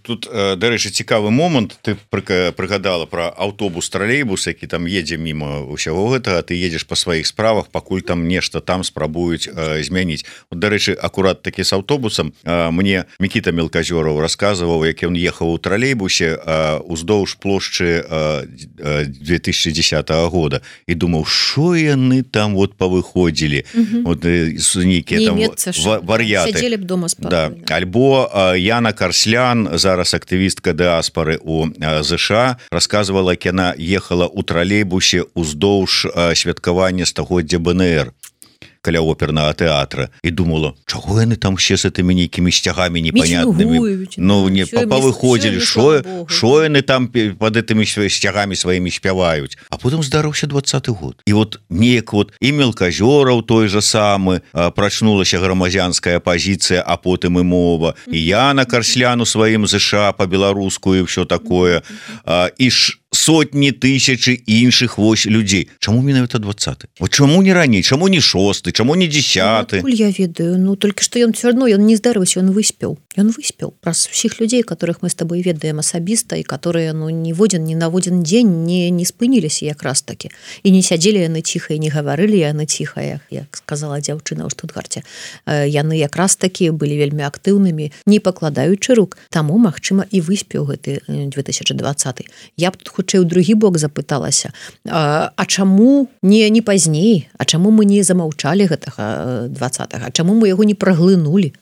Тут, дарэчы, цікавы момант, ты прыгадала пра аўтобус, тралейбус, які там едзе мімо ўсяго гэтага, ты едзеш па сваіх справах, пакуль там нешта там спрабуюць змяніць. Вот, дарэчы, акурат такі з аўтобусам, мне Мікіта Мелказёраў расказваў, як ён ехаў у тралейбусе уздоўж плошчы 2010 года і думаў, што яны там вот павыходзілі, вот нейкія там вар'яты. Да. Альбо Яна Карслян, зараз актывістка дыаспары у ЗША, рассказывала, як яна ехала ў тралейбусе ўздоўж святкавання стагоддзя БНР каля опернага тэатра і думала, чаго яны там все з этымі нейкімі сцягамі непонятнымі, ну не павыходзілі, шо яны там под этымі сцягамі сваімі спяваюць. А потым здарыўся 20-й год. І вот неяк вот і Мелказёраў той же самы, прачнулася грамадзянская пазіцыя, а потым і мова, і Яна Карслян у сваім ЗША па-беларуску і ўсё такое. І сотні тысячы іншых вось людзей. Чаму менавіта 20? Вот чаму не раней, чаму не 6, чаму не 10?
Я ведаю, ну толькі што ён все равно ён не здарыўся, ён выспеў праз усіх людзей, которых мы с тобой ведаем асабіста і которые ну ні в один ні на один дзень не спыніліся якраз таки і не сядзелі яны ціха і не гаварылі яны ціха, як сказала дзяўчына ў Штутгарце. Яны якраз таки былі вельмі актыўнымі, не пакладаючы рук. Таму магчыма і выспеў гэты 2020. Я б тут хутчэй у другі бок запыталася, а чаму не пазней, а чаму мы не замаўчалі гэтага 20-го, а чаму мы яго не праглынулі,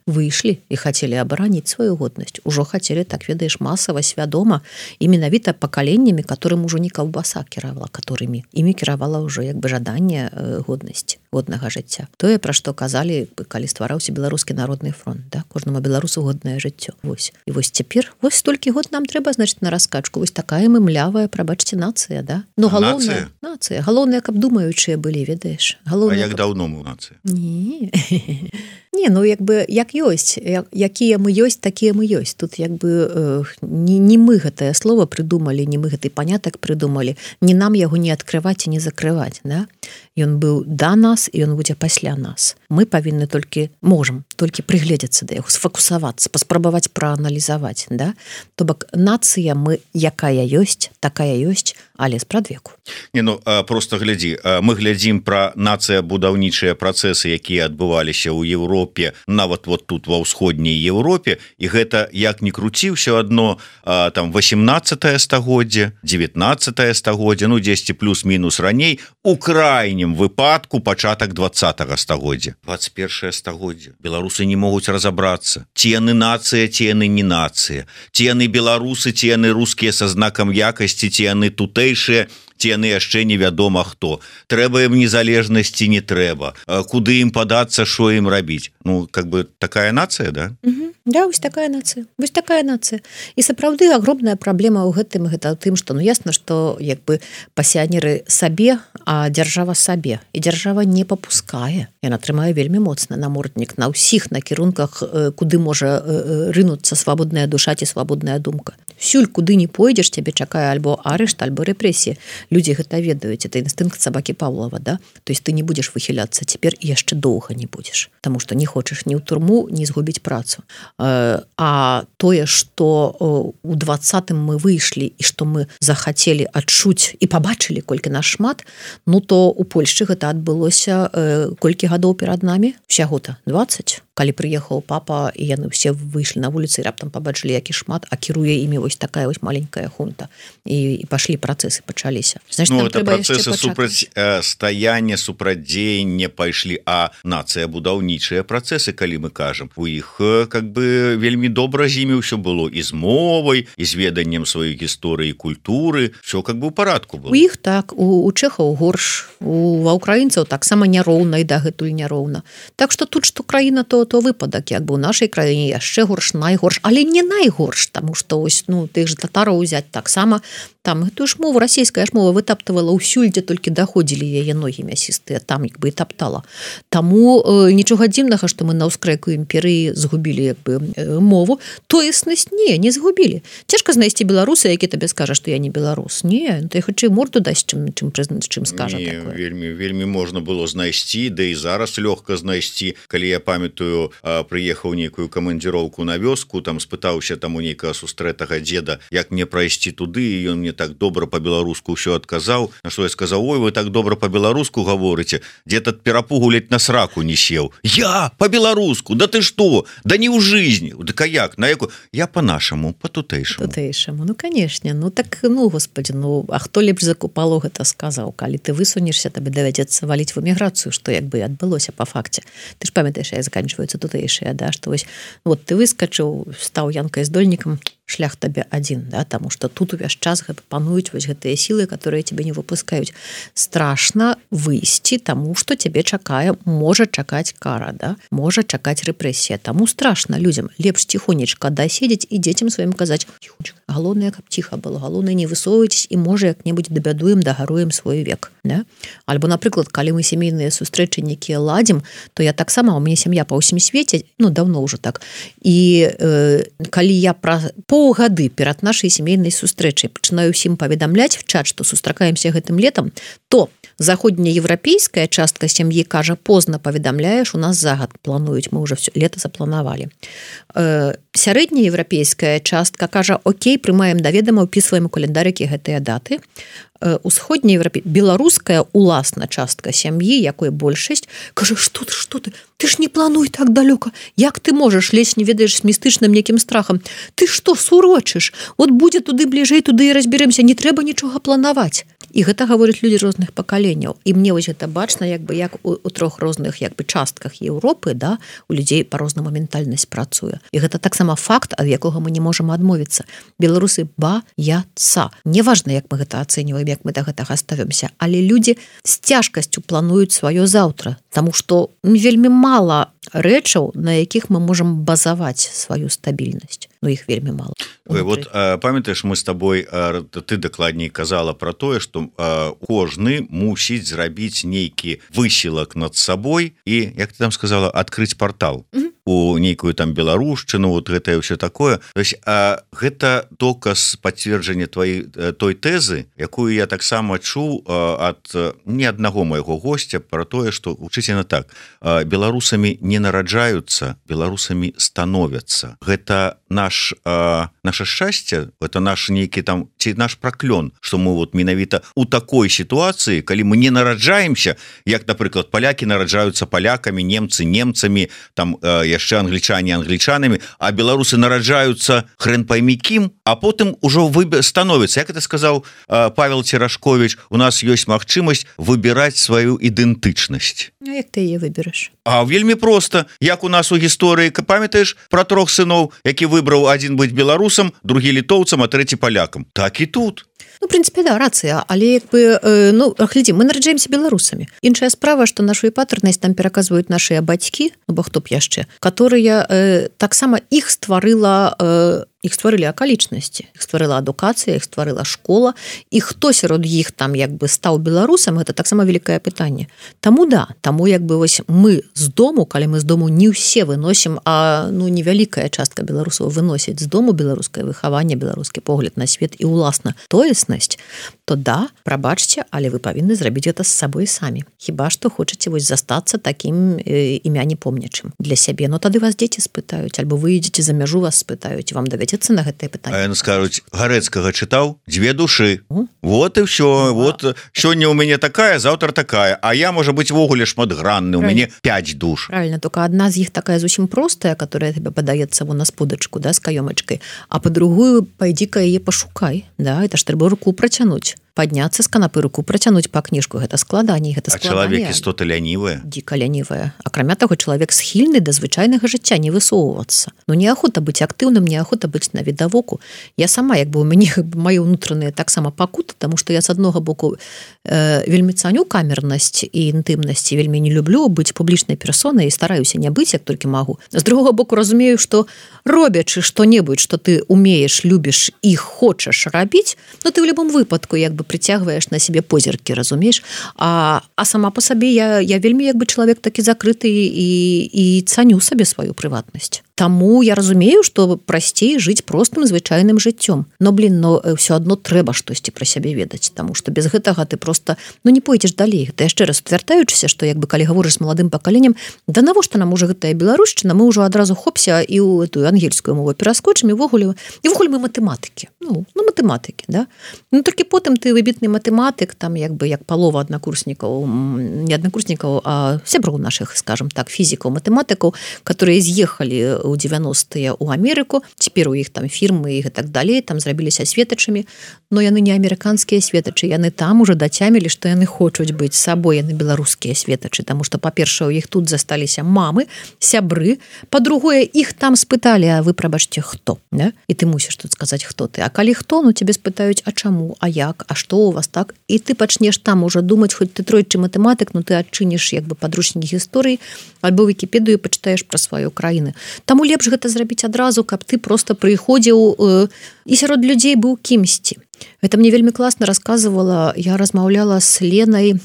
выйшлі і хацелі абараніць сваю годнасць, ужо хацелі, так ведаеш, масава, свядома і менавіта пакаленнямі, которым ужо не каўбаса кіравала, которымі імі кіравала ўжо як бы жаданне годнасці, годнага жыцця. Тое, пра што казалі, калі ствараўся беларускі народны фронт, да? Кожнаму беларусу годнае жыццё. Вось. І вось цяпер, вось столькі год нам трэба, значыць, на раскачку. Вось такая мы млявая, прабачце, нацыя, да? Ну, галоўнае, нацыя. Галоўнае, каб думаючыя былі, ведаеш. Галоўнае,
а як даўно мы нацыя?
Не, ну як бы як ёсць, якія мы ёсць, такія мы ёсць. Тут як бы не мы гэтае слово придумалі, не мы гэты панятак придумалі, не нам яго не адкрываць і не закрываць, да? Ён быў да нас і ён будзе пасля нас. Мы павінны можам толькі прыгледзецца да яго, сфокусавацца, паспрабаваць прааналізаваць, да? То бок нацыя мы якая ёсць, такая ёсць, але спрадвеку.
Не, ну просто глядзі, мы глядзім пра нацыя-будаўнічыя працэсы, якія адбываліся ў Еўропе, нават вот тут ва ўсходняй Еўропе, і гэта як ни круці, ўсё адно там 18 стагоддзе, 19 стагоддзе, ну 10 плюс-мінус раней, у крайнім выпадку пачатак 20 стагоддзя. 21 стагоддзе. Беларусы не могуць разабрацца. Ці яны нацыя, ці яны не нацыя. Ці яны беларусы, ці яны рускія са знакам якасці, ці яны тутэйшыя, ці яны яшчэ невядома хто. Трэба ім незалежнасці, не трэба. Куды ім падацца, што ім рабіць? Ну, как бы такая нацыя, да?
Да, вось такая нацыя. Вось такая нацыя. І сапраўды агромная праблема ў гэтым, гэта ў тым, што ну ясна, што як бы пасіянеры сабе, а дзяржава сабе. І дзяржава не папускае. Яна трымае вельмі моцна наморднік на ўсіх накірунках, куды можа рынуцца свабодная душа ці свабодная думка. Сюль, куды не пойдзеш, цябе чакае альбо арышт, альбо рэпрэсія. Людзі гэта ведаюць, это інстынкт сабакі Павлова, да? То есть ты не будзеш выхіляцца цяпер і яшчэ доўга не будзеш, таму што не хочаш ні ў турму, ні згубіць працу. А тое, што у 20-м мы выйшлі і што мы захацелі адчуць і пабачылі, колькі нас шмат, ну то у Польшчы гэта адбылося колькі гадоў перад намі? Усяго-то 20. Калі прыехаў папа, і яны ўсе выйшлі на вуліцы, і раптам пабачылі, які шмат, а кіруе імі вось такая вось маленькая хунта. І пашлі працэсы, пачаліся. Значит,
ну, это працэсы супрацьстаяння, супрацьдзеяння пайшлі, а нацыя-будаўнічыя працэсы, калі мы кажам, у іх как бы вельмі добра з імі ўсё было, і з мовай, і з веданнем сваёй гісторыі і культуры, все как бы ў парадку было.
У іх так, у чэхаў горш, ва ўкраінцаў таксама няроўна і дагэтуль няроўна. Так што тут, што краіна, то выпадак, як бы ў нашай краіне яшчэ горш, найгорш, але не найгорш, таму што ось, ну, тых же татараў узяць таксама, там гэтую ж мову, расійская ж мова вытаптывала ўсюль, дзе толькі даходзілі яе ногі мясістыя, там як бы і таптала. Таму нічога дзіўнага, што мы на ўскрэку імперыі згубілі як бы мову, тоеснасць не згубілі. Цяжка знайсці беларуса, які табе скажа, што я не беларус. Не, ты хутчэй морду дасць, чым скажа такое.
Вельмі можна было знайсці, да і зараз лёгка знайсці. Калі я памятаю, прыехаў нейкую камандзіроўку на вёску, там спытаўся там у нейкага сустрэтага дзеда, як мне прайсці туды, і ён мне так добра по-беларуску ўсё адказаў, на што я сказаў: ой, вы так добра по-беларуску гаворыце, дзе-то ад перапугу ледь на сраку не сеў. Я по-беларуску, да ты што? Да не ў жизни. Дык а як? На яку? Я по-нашаму, по-тутэйшаму.
Тутэйшаму, ну канешне, ну так, ну господи, ну а хто лепш за Купало гэта сказаў? Калі ты высунешся, табе давядзецца валіць в эміграцыю, што як бы адбылося па факце. Ты ж памятаеш, як заканчваюцца тутэйшыя, да, што вось вот ты выскачыў, стаў янкай здольнікам, шлях табе адзін, да, таму што тут увесь час пануюць вось гэтыя сілы, которые тебе не выпускаюць. Страшна выйсці, таму што цябе чакае, можа чакаць кара, да, можа чакаць рэпрэсія. Таму страшна людзям лепш ціхонечка даседзець і дзецям сваім казаць: ціхонечка, галоўнае, каб ціха было, галоўнае, не высоўвайцесь, і можа як-небудзь дабядуем, дагаруем свой век, да? Альбо, напрыклад, калі мы сямейныя сустрэчы некія ладзім, то я таксама, у мяне сям'я па ўсім свеце, ну, даўно ўжо так, і калі я паўгады перад нашай сямейнай сустрэчай пачынаю ўсім паведамляць в чат, што сустракаемся гэтым летам, то заходнееўрапейская частка сям'і кажа, позна паведамляеш, у нас загад плануюць, мы уже все лето запланавалі. Сярэднееўрапейская частка кажа, окей, прымаем да ведама, упісваем у календарыкі гэтыя даты. Беларуская уласна частка сям'і, якой большасць, кажа, што ты ж не плануй так далёка, як ты можаш, лезь не ведаеш з містычным некім страхам, ты што сурочыш, от будзе туды бліжэй, туды і разберемся, не трэба нічога планаваць. І гэта гавораць людзі розных пакаленняў. І мне вось гэта бачна, як у трох розных частках Еўропы, да, у людзей па-рознаму ментальнасць працуе. І гэта таксама факт, ад якога мы не можам адмовіцца. Беларусы баяцца. Неважна, як мы гэта ацэньваем, як мы да гэтага ставімся, але людзі з цяжкасцю плануюць сваё заўтра, таму што вельмі мала рэчаў, на якіх мы можам базаваць сваю стабільнасць. Ну, іх вельмі мала.
Вот памятаеш, мы з табой, ты дакладней казала пра тое, што кожны мусіць зрабіць нейкі высілак над сабой і, як ты там сказала, адкрыць партал у нейкую там беларушчыну, вот гэтае ўсё такое. То есть гэта доказ пацверджання той тэзы, якую я таксама чуў ад не аднаго майго госця пра тое, што вучыць яна так: беларусамі не нараджаюцца, беларусамі становяцца. Гэта наше шчасце, это наш нейкі там, ці наш праклён, што мы вот менавіта у такой сітуацыі, калі мы не нараджаемся, як, напрыклад, палякі нараджаюцца палякамі, немцы немцамі, там яшчэ англічане англічанамі, а беларусы нараджаюцца хрен пойми кім, а потым ужо становіцца. Як это сказаў Павел Церашкович, у нас ёсць магчымасць выбіраць сваю ідэнтычнасць.
А як ты яе выбераш?
А вельмі проста. Як у нас у гісторыі, памятаеш пра трох сыноў, які выбраў адзін быць беларусам, другі літоўцам, а трэці палякам. Так і тут.
Ну, в принципе, да, рацыя, але глядзі, мы нараджаемся беларусамі. Іншая справа, што нашу эпатэрнасць там пераказваюць нашыя бацькі, бо хто б яшчэ, которые таксама іх стварылі акалічнасці, іх стварыла адукацыя, іх стварыла школа, і хто сярод іх там стаў беларусам, гэта таксама вялікае пытанне. Таму вось мы з дому, калі мы з дому не ўсе выносім, а невялікая частка беларусаў выносіць з дому беларускае выхаванне, беларускі погляд на свет і уласна тоеснасць, то да, прабачце, але вы павінны зрабіць гэта з сабой самі. Хіба што хочаце вось застацца такім імя не помнячым для сябе. Но тады вас дзеці спытаюць, альбо вы ідзеце за мяжу, вас спытаюць, вам давядзецца на гэтае пытанне.
А яны скажуць, Гарэцкага чытаў, 2 душы. Вот і ўсё. Вот сёння ў мяне такая, заўтра такая, а я, можа быць, вогуле шматгранны, у мяне 5 душ.
Правильно, только адна з іх такая зусім простая, которая тебе падаецца вон на сподачку, да, з каёмачкай, а па-другую, пайдзі-ка яе пашукай, да, это ж трэба руку працянуць. Падняцца з канапы, руку працянуць па кніжку, гэта складаней, гэта складаней.
А чалавек істота лянівая?
Дзіка лянівая. Акрамя таго, чалавек схільны да звычайнага жыцця не высоўвацца. Ну, неахота быць актыўным, неахота быць на відавоку. Я сама, у мяне мае ўнутраныя таксама пакуты, таму што я з аднога боку вельмі цаню камернасць і інтымнасць, вельмі не люблю быць публічнай персонай і стараюся не быць, як толькі магу. З другога боку разумею, што робячы што-небудзь, што ты умееш, любіш і хочаш рабіць, ну ты ў любым выпадку прыцягваеш на сябе позіркі, разумееш? А сама по сабе я вельмі чалавек такі закрыты і цаню сабе сваю прыватнасць. Таму я разумею, што прасцей жыць простым звычайным жыццём. Но, ўсё адно трэба штосьці пра сябе ведаць, таму што без гэтага ты проста не пойдзеш далей. Гэта яшчэ раз утвярдаючыся, што калі гаворыш з маладым пакаленнем, да навошта нам ужо гэтая беларушчына, мы ўжо адразу хопся і ў эту ангельскую мову пераскочым, і вогуле мы матэматыкі. Матэматыкі, да? Ну, толькі потым ты выбітны матэматык, там як палова не аднакурснікаў, а сяброў нашых, скажем так, фізікаў, матэматыкаў, которые з'ехалі у 90-е у Амерыку, цяпер у іх там фірмы і так далей, там зрабіліся светачамі, но яны не амерыканскія светачы, яны там уже дацямілі, што яны хочуць быць сабой, яны беларускія светачы, таму што, па-першае, у іх тут засталіся мамы, сябры, па-другое, іх там спыталі, а вы, прабачце, хто? Да? І ты мусіш тут сказаць, хто ты. А калі хто, тебе спытаюць, а чаму, а як, а што у вас так? І ты пачнеш там уже думаць, хоць ты тройчы матэматык, но ты адчыніш падручнікі гісторыі, альбо Вікіпедыю пачытаеш пра сваю краіну. Таму лепш гэта зрабіць адразу, каб ты проста прыходзіў і сярод людзей быў кімсьці. Гэта мне вельмі класна расказвала, я размаўляла з Ленай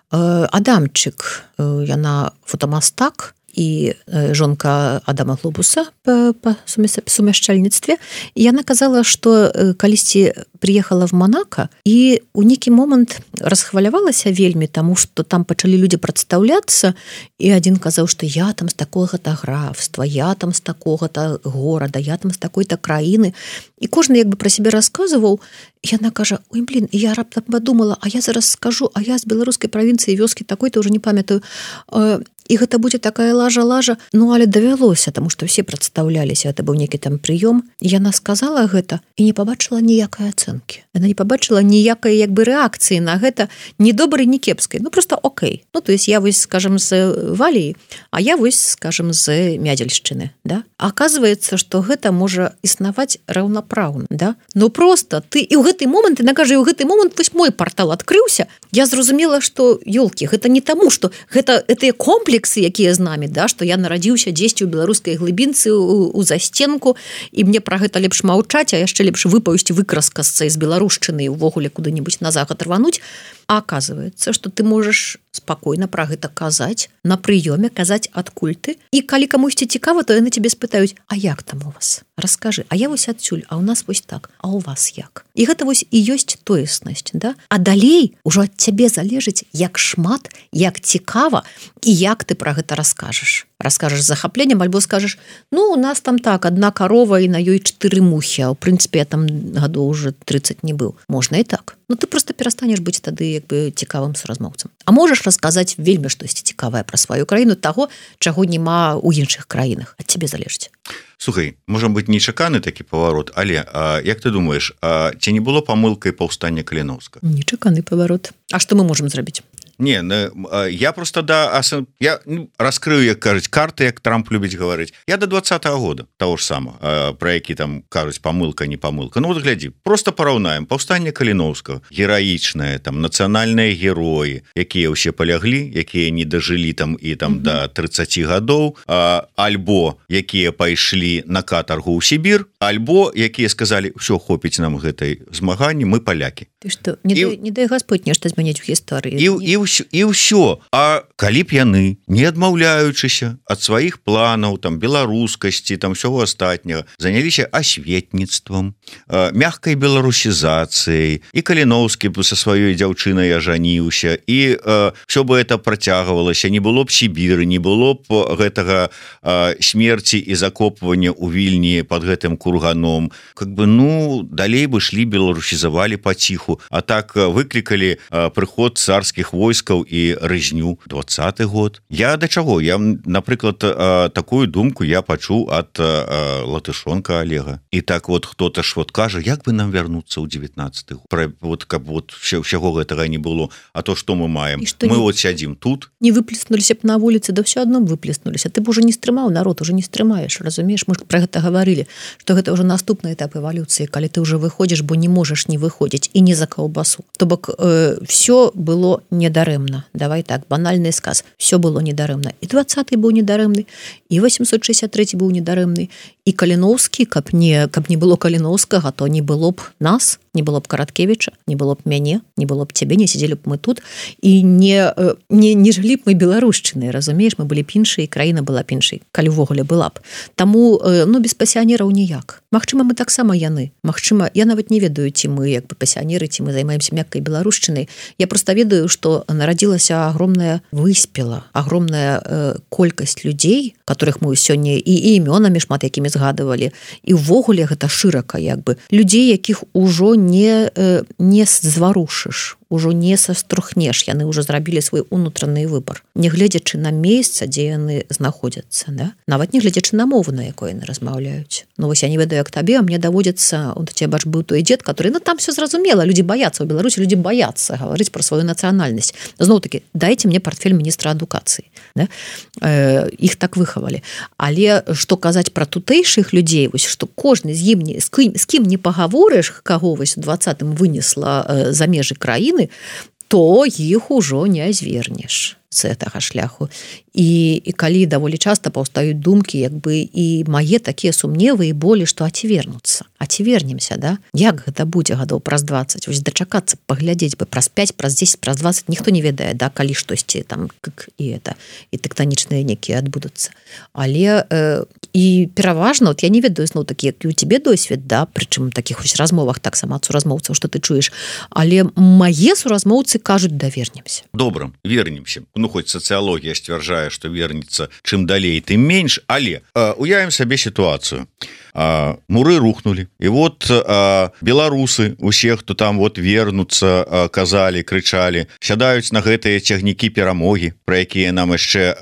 Адамчык, яна фотамастак, і жонка Адама Глобуса па сумяшчальніцтве. І яна казала, што калісьці приехала в Монако і у нейкі момант расхвалявалася вельмі, таму што там пачалі людзі прадстаўляцца, і адзін казаў, што я там з такога-то графства, я там з такога-то горада, я там з такой-то краіны. І кожны як бы пра сябе расказваў. Яна кажа: ой, блин, я раптам подумала, а я зараз скажу, а я з беларускай правінцыі вёскі такой-то уже не памятаю. І гэта будзе такая лажа. Ну, але давялося, таму што ўсе прадстаўляліся, гэта быў нейкі там прыём. Яна сказала гэта і не пабачыла ніякай ацэнкі. Яна не пабачыла ніякай як бы рэакцыі на гэта, ні добрай, ні кепскай. Ну, просто окей. Ну, то есть я вось, скажем, з Валіі, а я вось, скажем, з Мядзельшчыны, да? Аказваецца, што гэта можа існаваць раўнапраўна, да? Ну, просто ты і ў гэты момант, яна кажа, і ў гэты момант вось мой партал адкрыўся, я зразумела, што, ёлкі, гэта не таму, што гэтыя комплексы, якія з намі, да, што я нарадзіўся дзесьці ў беларускай глыбінцы у засценку, і мне пра гэта лепш маўчаць, а яшчэ лепш выпаўсці выкраскасца з беларушчыны і ўвогуле куды-небудзь на захад рвануць. А аказваецца, што ты можаш спакойна пра гэта казаць, на прыёме казаць адкуль ты, і калі камусьці цікава, то яны цябе спытаюць: а як там у вас? Раскажы, а я вось адсюль, а ў нас вось так, а ў вас як? І гэта вось і ёсць тоеснасць, да? А далей ужо ад цябе залежыць, як шмат, як цікава і як ты пра гэта раскажаш. Раскажаш з захапленнем, альбо скажаш: ну, у нас там так, одна карова і на ёй 4 мухі, а ў прынцыпе я там гадоў уже 30 не быў. Можна і так. Ну, ты просто перастанеш быць тады як бы цікавым суразмоўцам. А можаш расказаць вельмі штосьці цікавае пра сваю краіну, таго, чаго няма ў іншых краінах. Ад цябе залежыць.
Слухай, можа быць нечаканы такі паварот, але як ты думаеш, ці не было памылкай паўстання Каліноўска?
Нечаканы паварот. А што мы можам зрабіць?
Не, я просто я раскрыю, як кажуць, карты, як Трамп любіць гаварыць. Я до 20-го года, того ж самого, про які там кажуць памылка, не памылка. Ну вот глядзі, просто параўнаем. Паўстанне Каліноўскага, гераічнае, там нацыянальныя героі, якія ўсе паляглі, якія не дажылі там і там до 30 гадоў, альбо якія пайшлі на катаргу ў Сібір, альбо якія сказалі: ўсё, хопіць нам гэтай змаганні, мы палякі.
Ты што, не дай Господь нешта змяняць у гісторыі.
І ўсё. А калі б яны, не адмаўляючыся ад сваіх планаў, там, беларускасці, там, ўсяго астатняга, заняліся асветніцтвам, мягкай беларусізацыяй, і Каліноўскі са сваёй дзяўчынай ажаніўся, і ўсё бы это працягвалася, не было б Сібіры, не было б гэтага смерці і закопвання ў Вільні пад гэтым курганом. Как бы, ну, далей бы шлі, беларусізавалі паціху, а так выклікалі прыход царскіх войскаў і рызню. 20-й год. Я да чаго? Я, напрыклад, такую думку я пачуў ад Латышонка Олега. І так вот хто-то ж вот кажа: як бы нам вярнуцца ў 19-й год? Вот, каб вот ўсяго гэтага не было. А то што мы маем? Мы вот сядзім тут.
Не выплеснуліся б на вуліцы, да ўсё адно выплеснуліся. Ты б уже не стрымаў народ, уже не стрымаеш, разумееш? Мы ж пра гэта гаварылі, што гэта ўжо наступны этап эвалюцыі, калі ты ўжо выходзіш, бо не можаш не выходзіць і не за каўбасу. То бок всё было недарэмна. Давай так, банальны сказ. Всё было недарэмна. І 20-й быў недарэмны, і 863 быў недарэмны, і Каліноўскі, каб не было Каліноўскага, то не было б нас, не было б Караткевіча, не было б мяне, не было б цябе, не сидзелі б мы тут, і не жылі б мы беларушчынай, разумееш, мы былі б іншай, краіна была б іншай, калі ўвогуле была б. Таму, ну, без пасіянераў ніяк. Магчыма, мы таксама яны. Магчыма, я нават не ведаю, ці мы як бы пасіянеры, ці мы займаемся мяккай беларушчынай. Я просто ведаю, што нарадзілася агромная выспела, агромная колькасць людзей, которых мы сёння і імёнамі шмат якімі згадывалі, і ўвогуле гэта шырака як бы. Людзей, якіх ужо не зварушыш, ужо не саструхнеш, яны ўжо зрабілі свой унутраны выбар, не гледзячы на месца, дзе яны знаходзяцца, да? Нават не гледзячы на мову, на якой яны размаўляюць. Ну вось я не ведаю, як табе, а мне даводзіцца, у цябе бач быў той дзед, который, ну там все зразумела, людзі баяцца, у Беларусі людзі баяцца гаварыць пра сваю нацыянальнасць. Зноў-такі, дайце мне партфель міністра адукацыі, да? Іх так выхавалі. Але што казаць пра тутэйшых людзей, вось што кожны з ім з кім не пагаворыш, каго вось у 20-м вынесла за межы краіны, то іх ужо не звернеш. з гэтага шляху і калі даволі часта паўстаюць думкі як бы і мае такія сумневы і болі што а ці вернемся да як гэта будзе гадоў праз 20 вось дачакацца паглядзець бы праз 5 праз 10 праз 20 ніхто не ведае да калі штосьці там і тэктанічныя некія адбудуцца але і пераважна вот я не ведаю зноў такі як і у тебе досвед да прычым такіх вось размовах таксама суразмоўцаў што ты чуеш але мае суразмоўцы кажуць да вернемся
добра вернемся ну хоць сацыялогія сцвярджае што вернецца чым далей тым менш але уявім сабе сітуацыю муры рухнули і вот беларусы усе хто там вот вернуцца казалі крычалі сядаюць на гэтыя цягнікі перамогі про якія нам яшчэ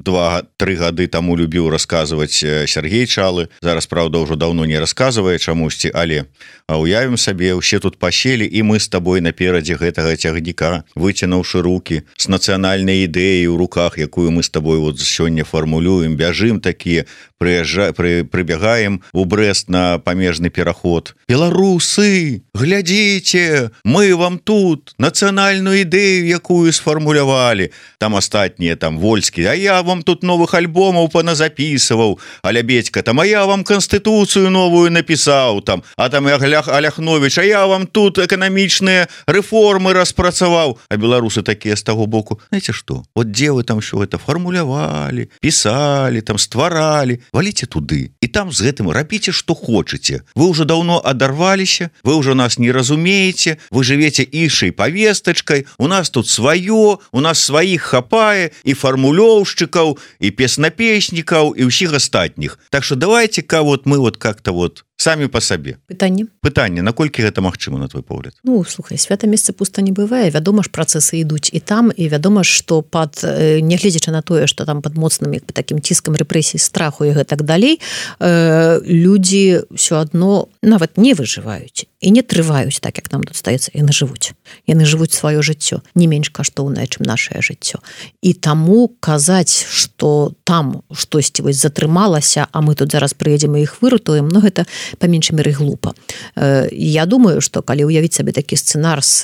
2-3 гады таму любіў расказваць Сергей Чалы зараз правда ўжо даўно не расказвае чамусьці але уявім сабе усе тут пасели і мы з табой наперадзе гэтага цягніка выцянуўшы руки с нацыянальнай ідэяй у руках якую мы з табой вот сёння фармулюем бяжым такія прыбягаем у Брест на памежны пераход беларусы глядзіце мы вам тут нацыянальную ідэю якую сфармулявалі там астатнія там Вольскі а я вам тут новых альбомаў паназапісываў а Лябедька там а я вам канстытуцыю новую напісаў там а там Аляхновіч а я вам тут эканамічныя рэформы распрацаваў а беларусы такія з таго боку знаете што вот дзе вы там що это фармулявалі пісалі там стваралі валіце туды і там з гэтым рабіце што хочаце вы ўжо даўно адарваліся вы ўжо нас не разумееце вы жывеце іншай павестачкай у нас тут сваё у нас сваіх хапае і фармулёўшчыкаў і песнапеснікаў і ўсіх астатніх так что давайте-ка вот мы вот как-то вот самі по сабе пытанне наколькі гэта магчыма на твой погляд
ну слухай свята месца пуста не бывае вядома ж працэсы ідуць і там і вядома што пад нягледзячы на тое што там пад моцным як бы такім ціскам рэпрэсій страху і гэтак далей людзі ўсё адно нават не выжываюць і не трываюць так як нам тут стаецца яны жывуць сваё жыццё не менш каштоўнае чым нашае жыццё і таму казаць што там штосьці вось затрымалася а мы тут зараз прыедзем і іх выратуем но гэта па меншай меры глупа я думаю што калі ўявіць сабе такі сцэнар з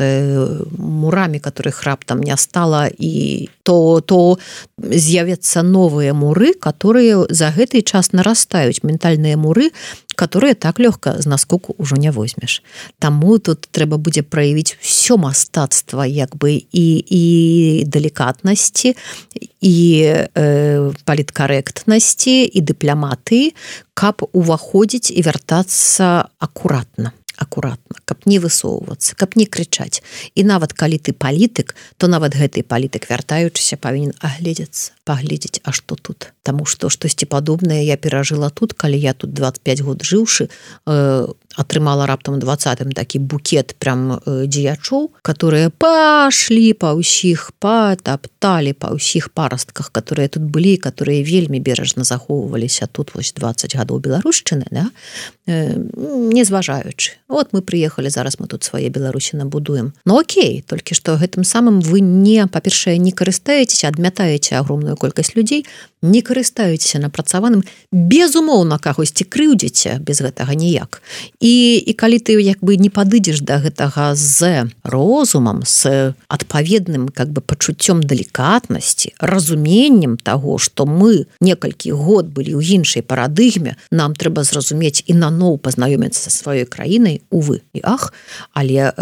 мурамі которых раптам не стала і то з'явяцца новыя муры которые за гэты час нарастаюць ментальныя муры которые так лёгка з наскоку ўжо не возьмеш. Таму тут трэба будзе праявіць всё мастацтва як бы і далікатнасці і паліткарэктнасці і дыпламатыі, каб уваходзіць і вяртацца акуратна, каб не высоўвацца, каб не крычаць. І нават калі ты палітык, то нават гэты палітык вяртаючыся павінен агледзецца, паглядзець, а што тут. Таму што штосьці падобнае я перажыла тут, калі я тут 25 год жыўшы, атрымала раптам 20-м такі букет прям дзеячоў, которые пашлі па ўсіх, патапталі па ўсіх парастках, которые тут былі, которые вельмі бережна захоўваліся тут вось 20 гадоў беларушчыны, да? Не зважаючы. Вот мы прыехалі, зараз мы тут свае Беларусі набудуем. Ну окей, толькі што гэтым самым вы не, па-першае, не карыстаецеся, адмятаеце агромную колькасць людзей, не карыстаецеся напрацаваным, безумоўна кагосьці крыўдзіце без гэтага ніяк. І калі ты як бы не падыдзеш да гэтага з розумам, з адпаведным как бы пачуццём далікатнасці, разуменнем таго, што мы некалькі год былі ў іншай парадыгме, нам трэба зразумець і наноў пазнаёміцца са сваёй краінай, увы і ах, але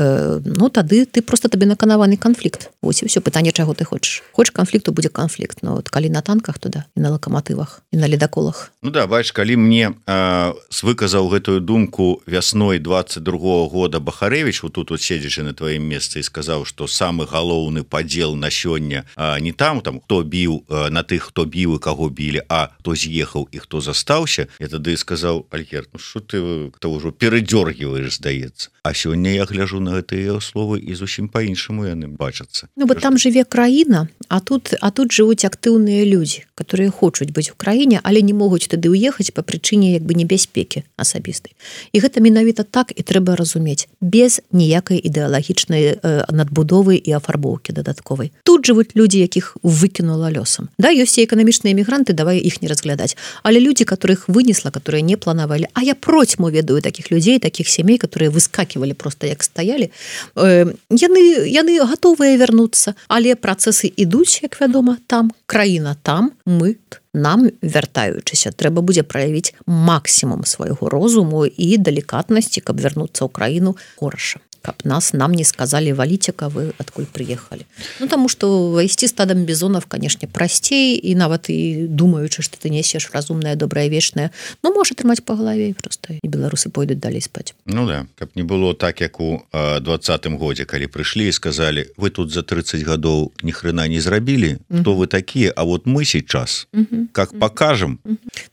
ну тады ты просто табе наканаваны канфлікт. Вось і ўсё, пытанне, чаго ты хочаш. Хочаш канфлікту, будзе канфлікт, но от калі на танках, то да, і на лакаматывах, і на ледаколах.
Ну да, бачиш, калі мне выказаў гэтую думку вясной 22-го года Бахарэвіч, вот тут седзячы на тваім месцы, і сказаў, што самы галоўны падзел на сёння не там, хто біў, на тых, хто біў і каго білі, а хто з'ехаў і хто застаўся, я тады сказаў: Альгерд, ну што ты ўжо перадзёргіваеш, здаецца. А сёння я гляжу на гэтыя словы і зусім па-іншаму яны бачацца.
Ну, бо там жыве краіна, а тут жывуць актыўныя людзі, которые хочуць быць у краіне, але не могуць тады ўехаць па прычыне як бы небяспекі асабістай. І гэта менавіта так і трэба разумець, без ніякай ідэалагічнай надбудовы і афарбоўкі дадатковай. Тут жывуць людзі, якіх выкінула лёсам. Да, ёсць і эканамічныя эмігранты, давай іх не разглядаць. Але людзі, которых вынесла, которые не планавалі, а я процьму ведаю такіх людзей, такіх сямей, людей, которые выскакивали просто як стаялі, яны готовыя вярнуцца, але працэсы ідуць, як вядома, там краіна там, мы нам, вяртаючыся, трэба будзе праявіць максімум свайго розуму і далікатнасці, каб вярнуцца ў краіну хораша. Каб нам не сказали, валите, вы откуль приехали. Ну, потому что войти стадом бизонов, конечно, простей, и нават и думаючи, что ты несешь разумное, доброе, вечное, но может тримать по голове просто, и белорусы пойдут далее спать.
Ну да, каб не было так, як у 20-м годзе, калі пришли и сказали, вы тут за 30 годов ни хрена не зрабили, кто вы такие, а вот мы сейчас, как покажем.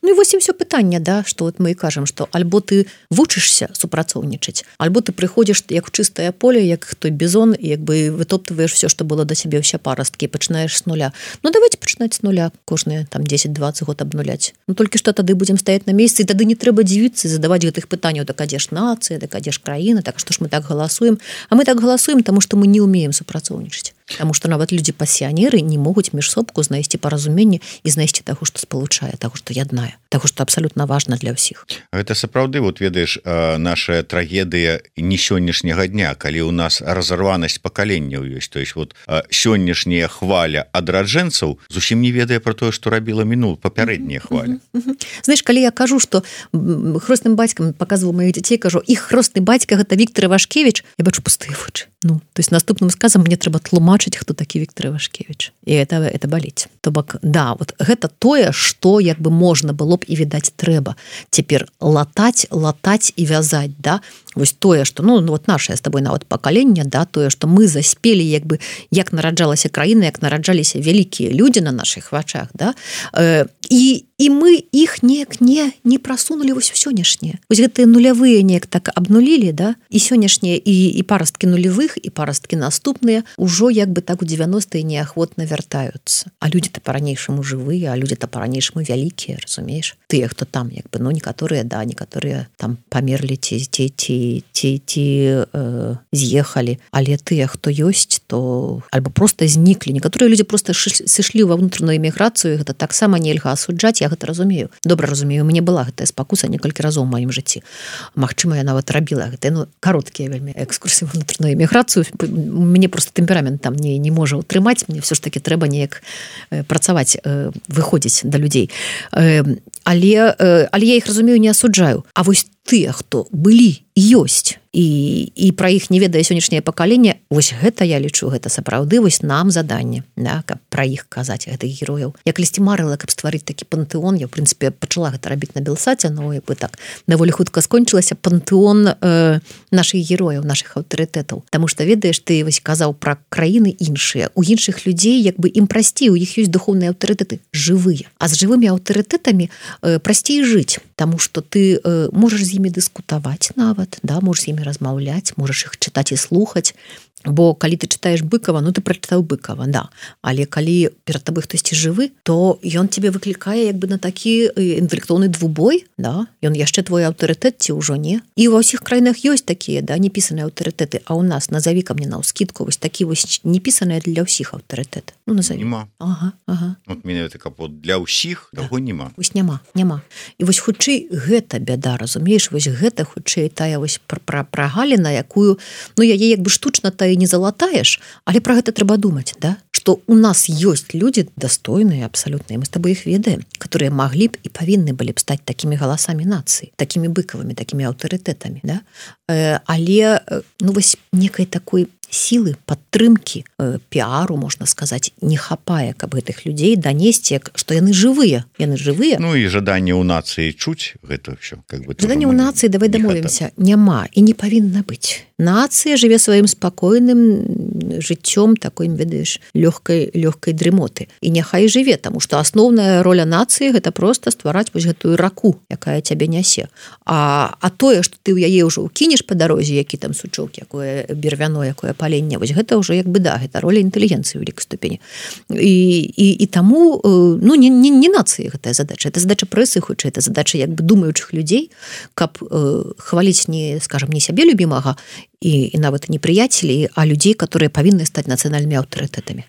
Ну и вот все питание, да, что вот мы и кажем, что альбо ты вучишься супрацоўнічаць, альбо ты приходишь, як в чистое поле, як той бизон, и якби вытоптываешь все, что было до себе, все паростки, и починаешь с нуля. Ну, давайте починать с нуля, кожные там 10-20 год обнулять. Ну, только что тогда будем стоять на месте, и тогда не треба дивиться и задавать гэтых пытаний, так, а где ж нация, так, а где ж краина, так, что ж мы так голосуем? А мы так голосуем, потому что мы не умеем супрацоўнічаць. Потому что нават люди-пассіянеры не могуць між собку знайсці паразуменне і знайсці таго, што спалучае, таго, што яднае, таго, што абсалютна важна для ўсіх.
Гэта сапраўды, вот ведаеш, наша трагедыя не сённяшняга дня, калі ў нас разарванасць пакаленняў ёсць. То есть вот сённяшняя хваля адраджэнцаў зусім не ведае пра тое, што рабіла папярэдняя хваля.
Знаеш, калі я кажу, што хросным бацькам паказваў маіх дзяцей, кажу, іх хросны бацька гэта Віктор Івашкевіч, я бачу пустыя вочы. Ну, то есть наступным сказам мне трэба тлумачыць, хто такі Віктор Івашкевіч. І это баліць. То бок, да, вот гэта тое, што як бы можна было б і відаць трэба. Цяпер латаць і вязаць, да? Вось тое, што, ну, вот наше з табой нават пакаленне, да, тое, што мы заспелі, як бы, як нараджалася краіна, як нараджаліся вялікія людзі на нашых вачах, да? І мы іх неяк не прасунулі вось у сённяшнее. Вось гэтыя нулявыя неяк так абнулілі, да? І сённяшнія, і парасткі нулявых, і парасткі наступныя ўжо як бы так у 90-е неахвотна вяртаюцца. А людзі-то па-ранейшаму жывыя, а людзі-то па-ранейшаму вялікія, разумееш? Тыя, хто там, як бы, ну, некаторыя, да, некаторыя там памерлі ці з'ехалі, але тыя, хто ёсць, то альбо просто зніклі. Некаторыя людзі просто сышлі ва ўнутраную эміграцыю, гэта таксама нельга асуджаць, я гэта разумею. Добра разумею, у мяне была гэтая спакуса некалькі разоў у маім жыцці. Магчыма, я нават рабіла гэтыя, ну, кароткія вельмі экскурсіі ва ўнутраную эміграцыю. Мне просто тэмперамент там не можа утрымаць, мне все ж таки трэба неяк працаваць, выходзіць да людзей. Але я іх разумею, не асуджаю. А вось тыя, хто былі і ёсць, і пра іх не ведае сённяшняе пакаленне, вось гэта я лічу, гэта сапраўды вось нам заданне, да, каб пра іх казаць, гэтых герояў. Я калісьці марыла, каб стварыць такі пантэон, я, в прынцыпе, пачала гэта рабіць на Белсаце, но як бы так даволі хутка скончылася пантэон нашых герояў, нашых аўтарытэтаў. Таму што, ведаеш, ты вось казаў пра краіны іншыя, у іншых людзей як бы ім прасцей, у іх ёсць духоўныя аўтарытэты, жывыя. А з жывымі аўтарытэтамі прасцей жыць, таму што ты можаш з імі дыскутаваць нават, да, можаш з імі размаўляць, можаш іх чытаць і слухаць, бо калі ты чытаеш Быкова, ну ты прачытаў Быкова, да, але калі перад табой хтосьці жывы, то ён тебе выклікае як бы на такі інтэлектуальны двубой, да, ён яшчэ твой аўтарытэт ці ўжо не. І ва ўсіх краінах ёсць такія, да, непісаныя аўтарытэты, а ў нас, назаві ка мне наўскідку, вось такі вось непісаныя для ўсіх аўтарытэт. Ну, назаві.
Нема.
Ага.
Вот менавіта капот для ўсіх, таго нема.
Вось няма. І вось хутчэй гэта бяда, разумееш, вось гэта хутчэй тая вось прагаліна, якую, ну, яе як бы штучна та не залатаеш, але пра гэта трэба думаць, да? Што у нас ёсць людзі дастойныя абсалютныя, мы з табой іх ведаем, которые маглі б і павінны былі б стаць такімі галасамі нацыі, такімі быкавымі, такімі аўтарытэтамі, да? Але, ну, вось некай такой сілы, падтрымкі, піару, можна сказаць, не хапае, каб гэтых людзей данесці, што яны жывыя.
Ну і жаданне ў нацыі чуць гэта ўсё.
Жаданне ў нацыі, давай дамовімся, няма і не павінна быць. Нацыя жыве сваім спакойным жыццём, такой, ведаеш, лёгкай дрымоты. І няхай жыве, таму што асноўная роля нацыі гэта проста ствараць вось гэтую раку, якая цябе нясе. А тое, што ты ў яе ўжо ўкінеш па дарозе, які там сучок, якое бервяно, якое паленне, вось гэта ўжо як бы, да, гэта роля інтэлігенцыі ў вялікай ступені. І таму, ну, не нацыі гэтая задача, это задача прэсы, хутчэй, это задача як бы думаючых людзей, каб хваліць не, скажам, не сябе любімага і нават не прыяцелей, а людзей, которые павінны стаць нацыянальнымі аўтарытэтамі.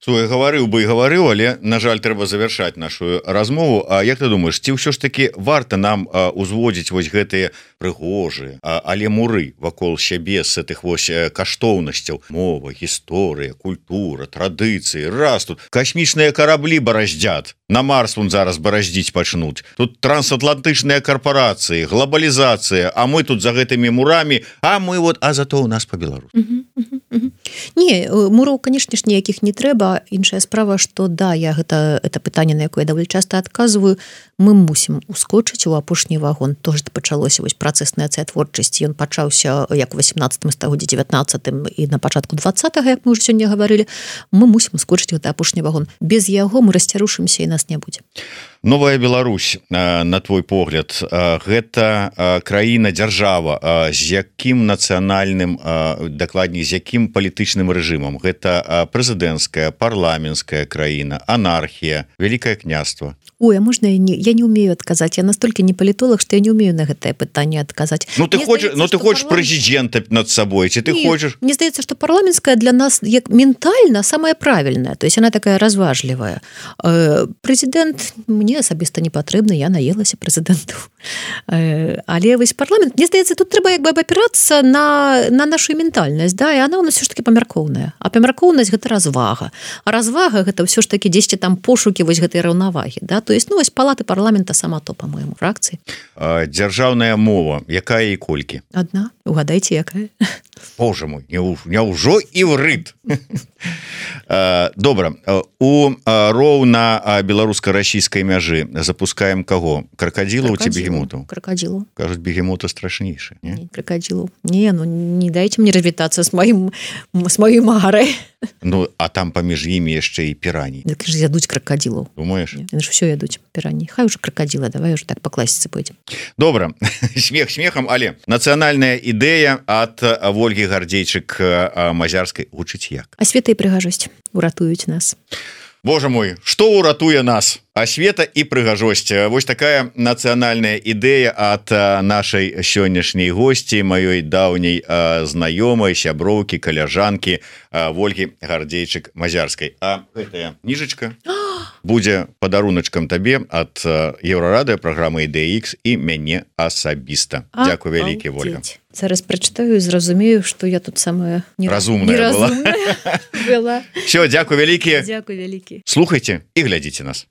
Слухай, гаварыў бы і гаварыў, але на жаль трэба завяршаць нашу размову. А як ты думаеш, ці ўсё ж таки варта нам узводзіць вось гэтыя прыгожыя, але муры вакол сябе з гэтых вось каштоўнасцяў: мова, гісторыя, культура, традыцыі, раз тут касмічныя караблі бараздзят, на Марс вон зараз бараздзіць пачнуць, тут трансатлантычныя карпорацыі, глобалізацыя, а мы тут за гэтымі мурамі, а зато у нас по-беларуску.
Не, мураў, канешне ж, ніякіх не трэба. Іншая справа, што да, я гэта пытанне, на якое даволі часта адказваю, мы мусім ускочыць у апошні вагон. То ж пачалося вось працэс нацыятворчасці, ён пачаўся як у 18 стагоддзі, 19 і на пачатку 20-го, як мы ўжо сёння гаварылі. Мы мусім ускочыць гэты апошні вагон. Без яго мы расцярушымся і нас не будзе.
Новая Беларусь, на твой погляд, гэта краіна, дзяржава з якім нацыянальным, дакладней, з якім палітычным рэжымам? Гэта прэзідэнцкая, парламенцкая краіна, анархія, вялікае княства?
Ой, а можна я не умею адказаць? Я настолькі не палітолог, што я не умею на гэтае пытанне адказаць.
Ты хочаш прэзідэнта над сабой, ці ты хочаш?
Мне здаецца, што парламенцкая для нас як ментальна самая правільная, то есть она такая разважлівая. Прэзідэнт мне асабіста не патрэбны, я наелася прэзідэнту. Але вось парламент, мне здаецца, тут трэба як бы абапірацца на нашу ментальнасць, да, і она у нас все ж таки памяркоўная. А памяркоўнасць гэта развага. А развага гэта ўсё ж таки дзесьці там пошукі вось гэтай раўнавагі, да, то есть, вось палаты парламента сама то, по-моему, фракцыі.
Дзяржаўная мова, якая і колькі?
Адна, угадайце, якая?
Боже мой, няўжо іврыт. Добра, у роўна беларуска-расійскай мяжы запускаем каго? Кракадзілаў ці бегемотаў?
Кракадзілаў.
Кажуць, бегемоты страшнейшы.
Не, кракадзілаў. Не, не дайце мне развітацца з маёй магарай.
Ну, а там паміж імі яшчэ і пірані.
Дык ж ядуць кракадзілаў.
Думаеш?
Яны ж ўсё ядуць, пірані. Хай уже кракадзіла, давай уже так па класіцы пойдзем.
Добра, смех смехам, але нацыянальная ідэя ад Вольгі Гардзейчык-Мазярскай гучыць як?
Асвета і прыгажосць уратуюць нас.
Боже мой, што ўратуе нас? Асвета і прыгажосць. Вось такая нацыянальная ідэя ад нашай сённяшняй госці, маёй даўняй знаёмай, сяброўкі, каляжанкі Вольгі Гардзейчык-Мазярскай. А гэтая кніжачка будзе падаруначкам табе ад Еўрарадыё, праграмы «Ідэя Х» і мяне асабіста. Дзякуй вялікі, Вольга.
Зараз прачытаю і зразумею, што я тут самая
неразумная была.
Была.
Всё, дзякуй вялікі.
Дзякуй вялікі.
Слухайце і глядзіце нас.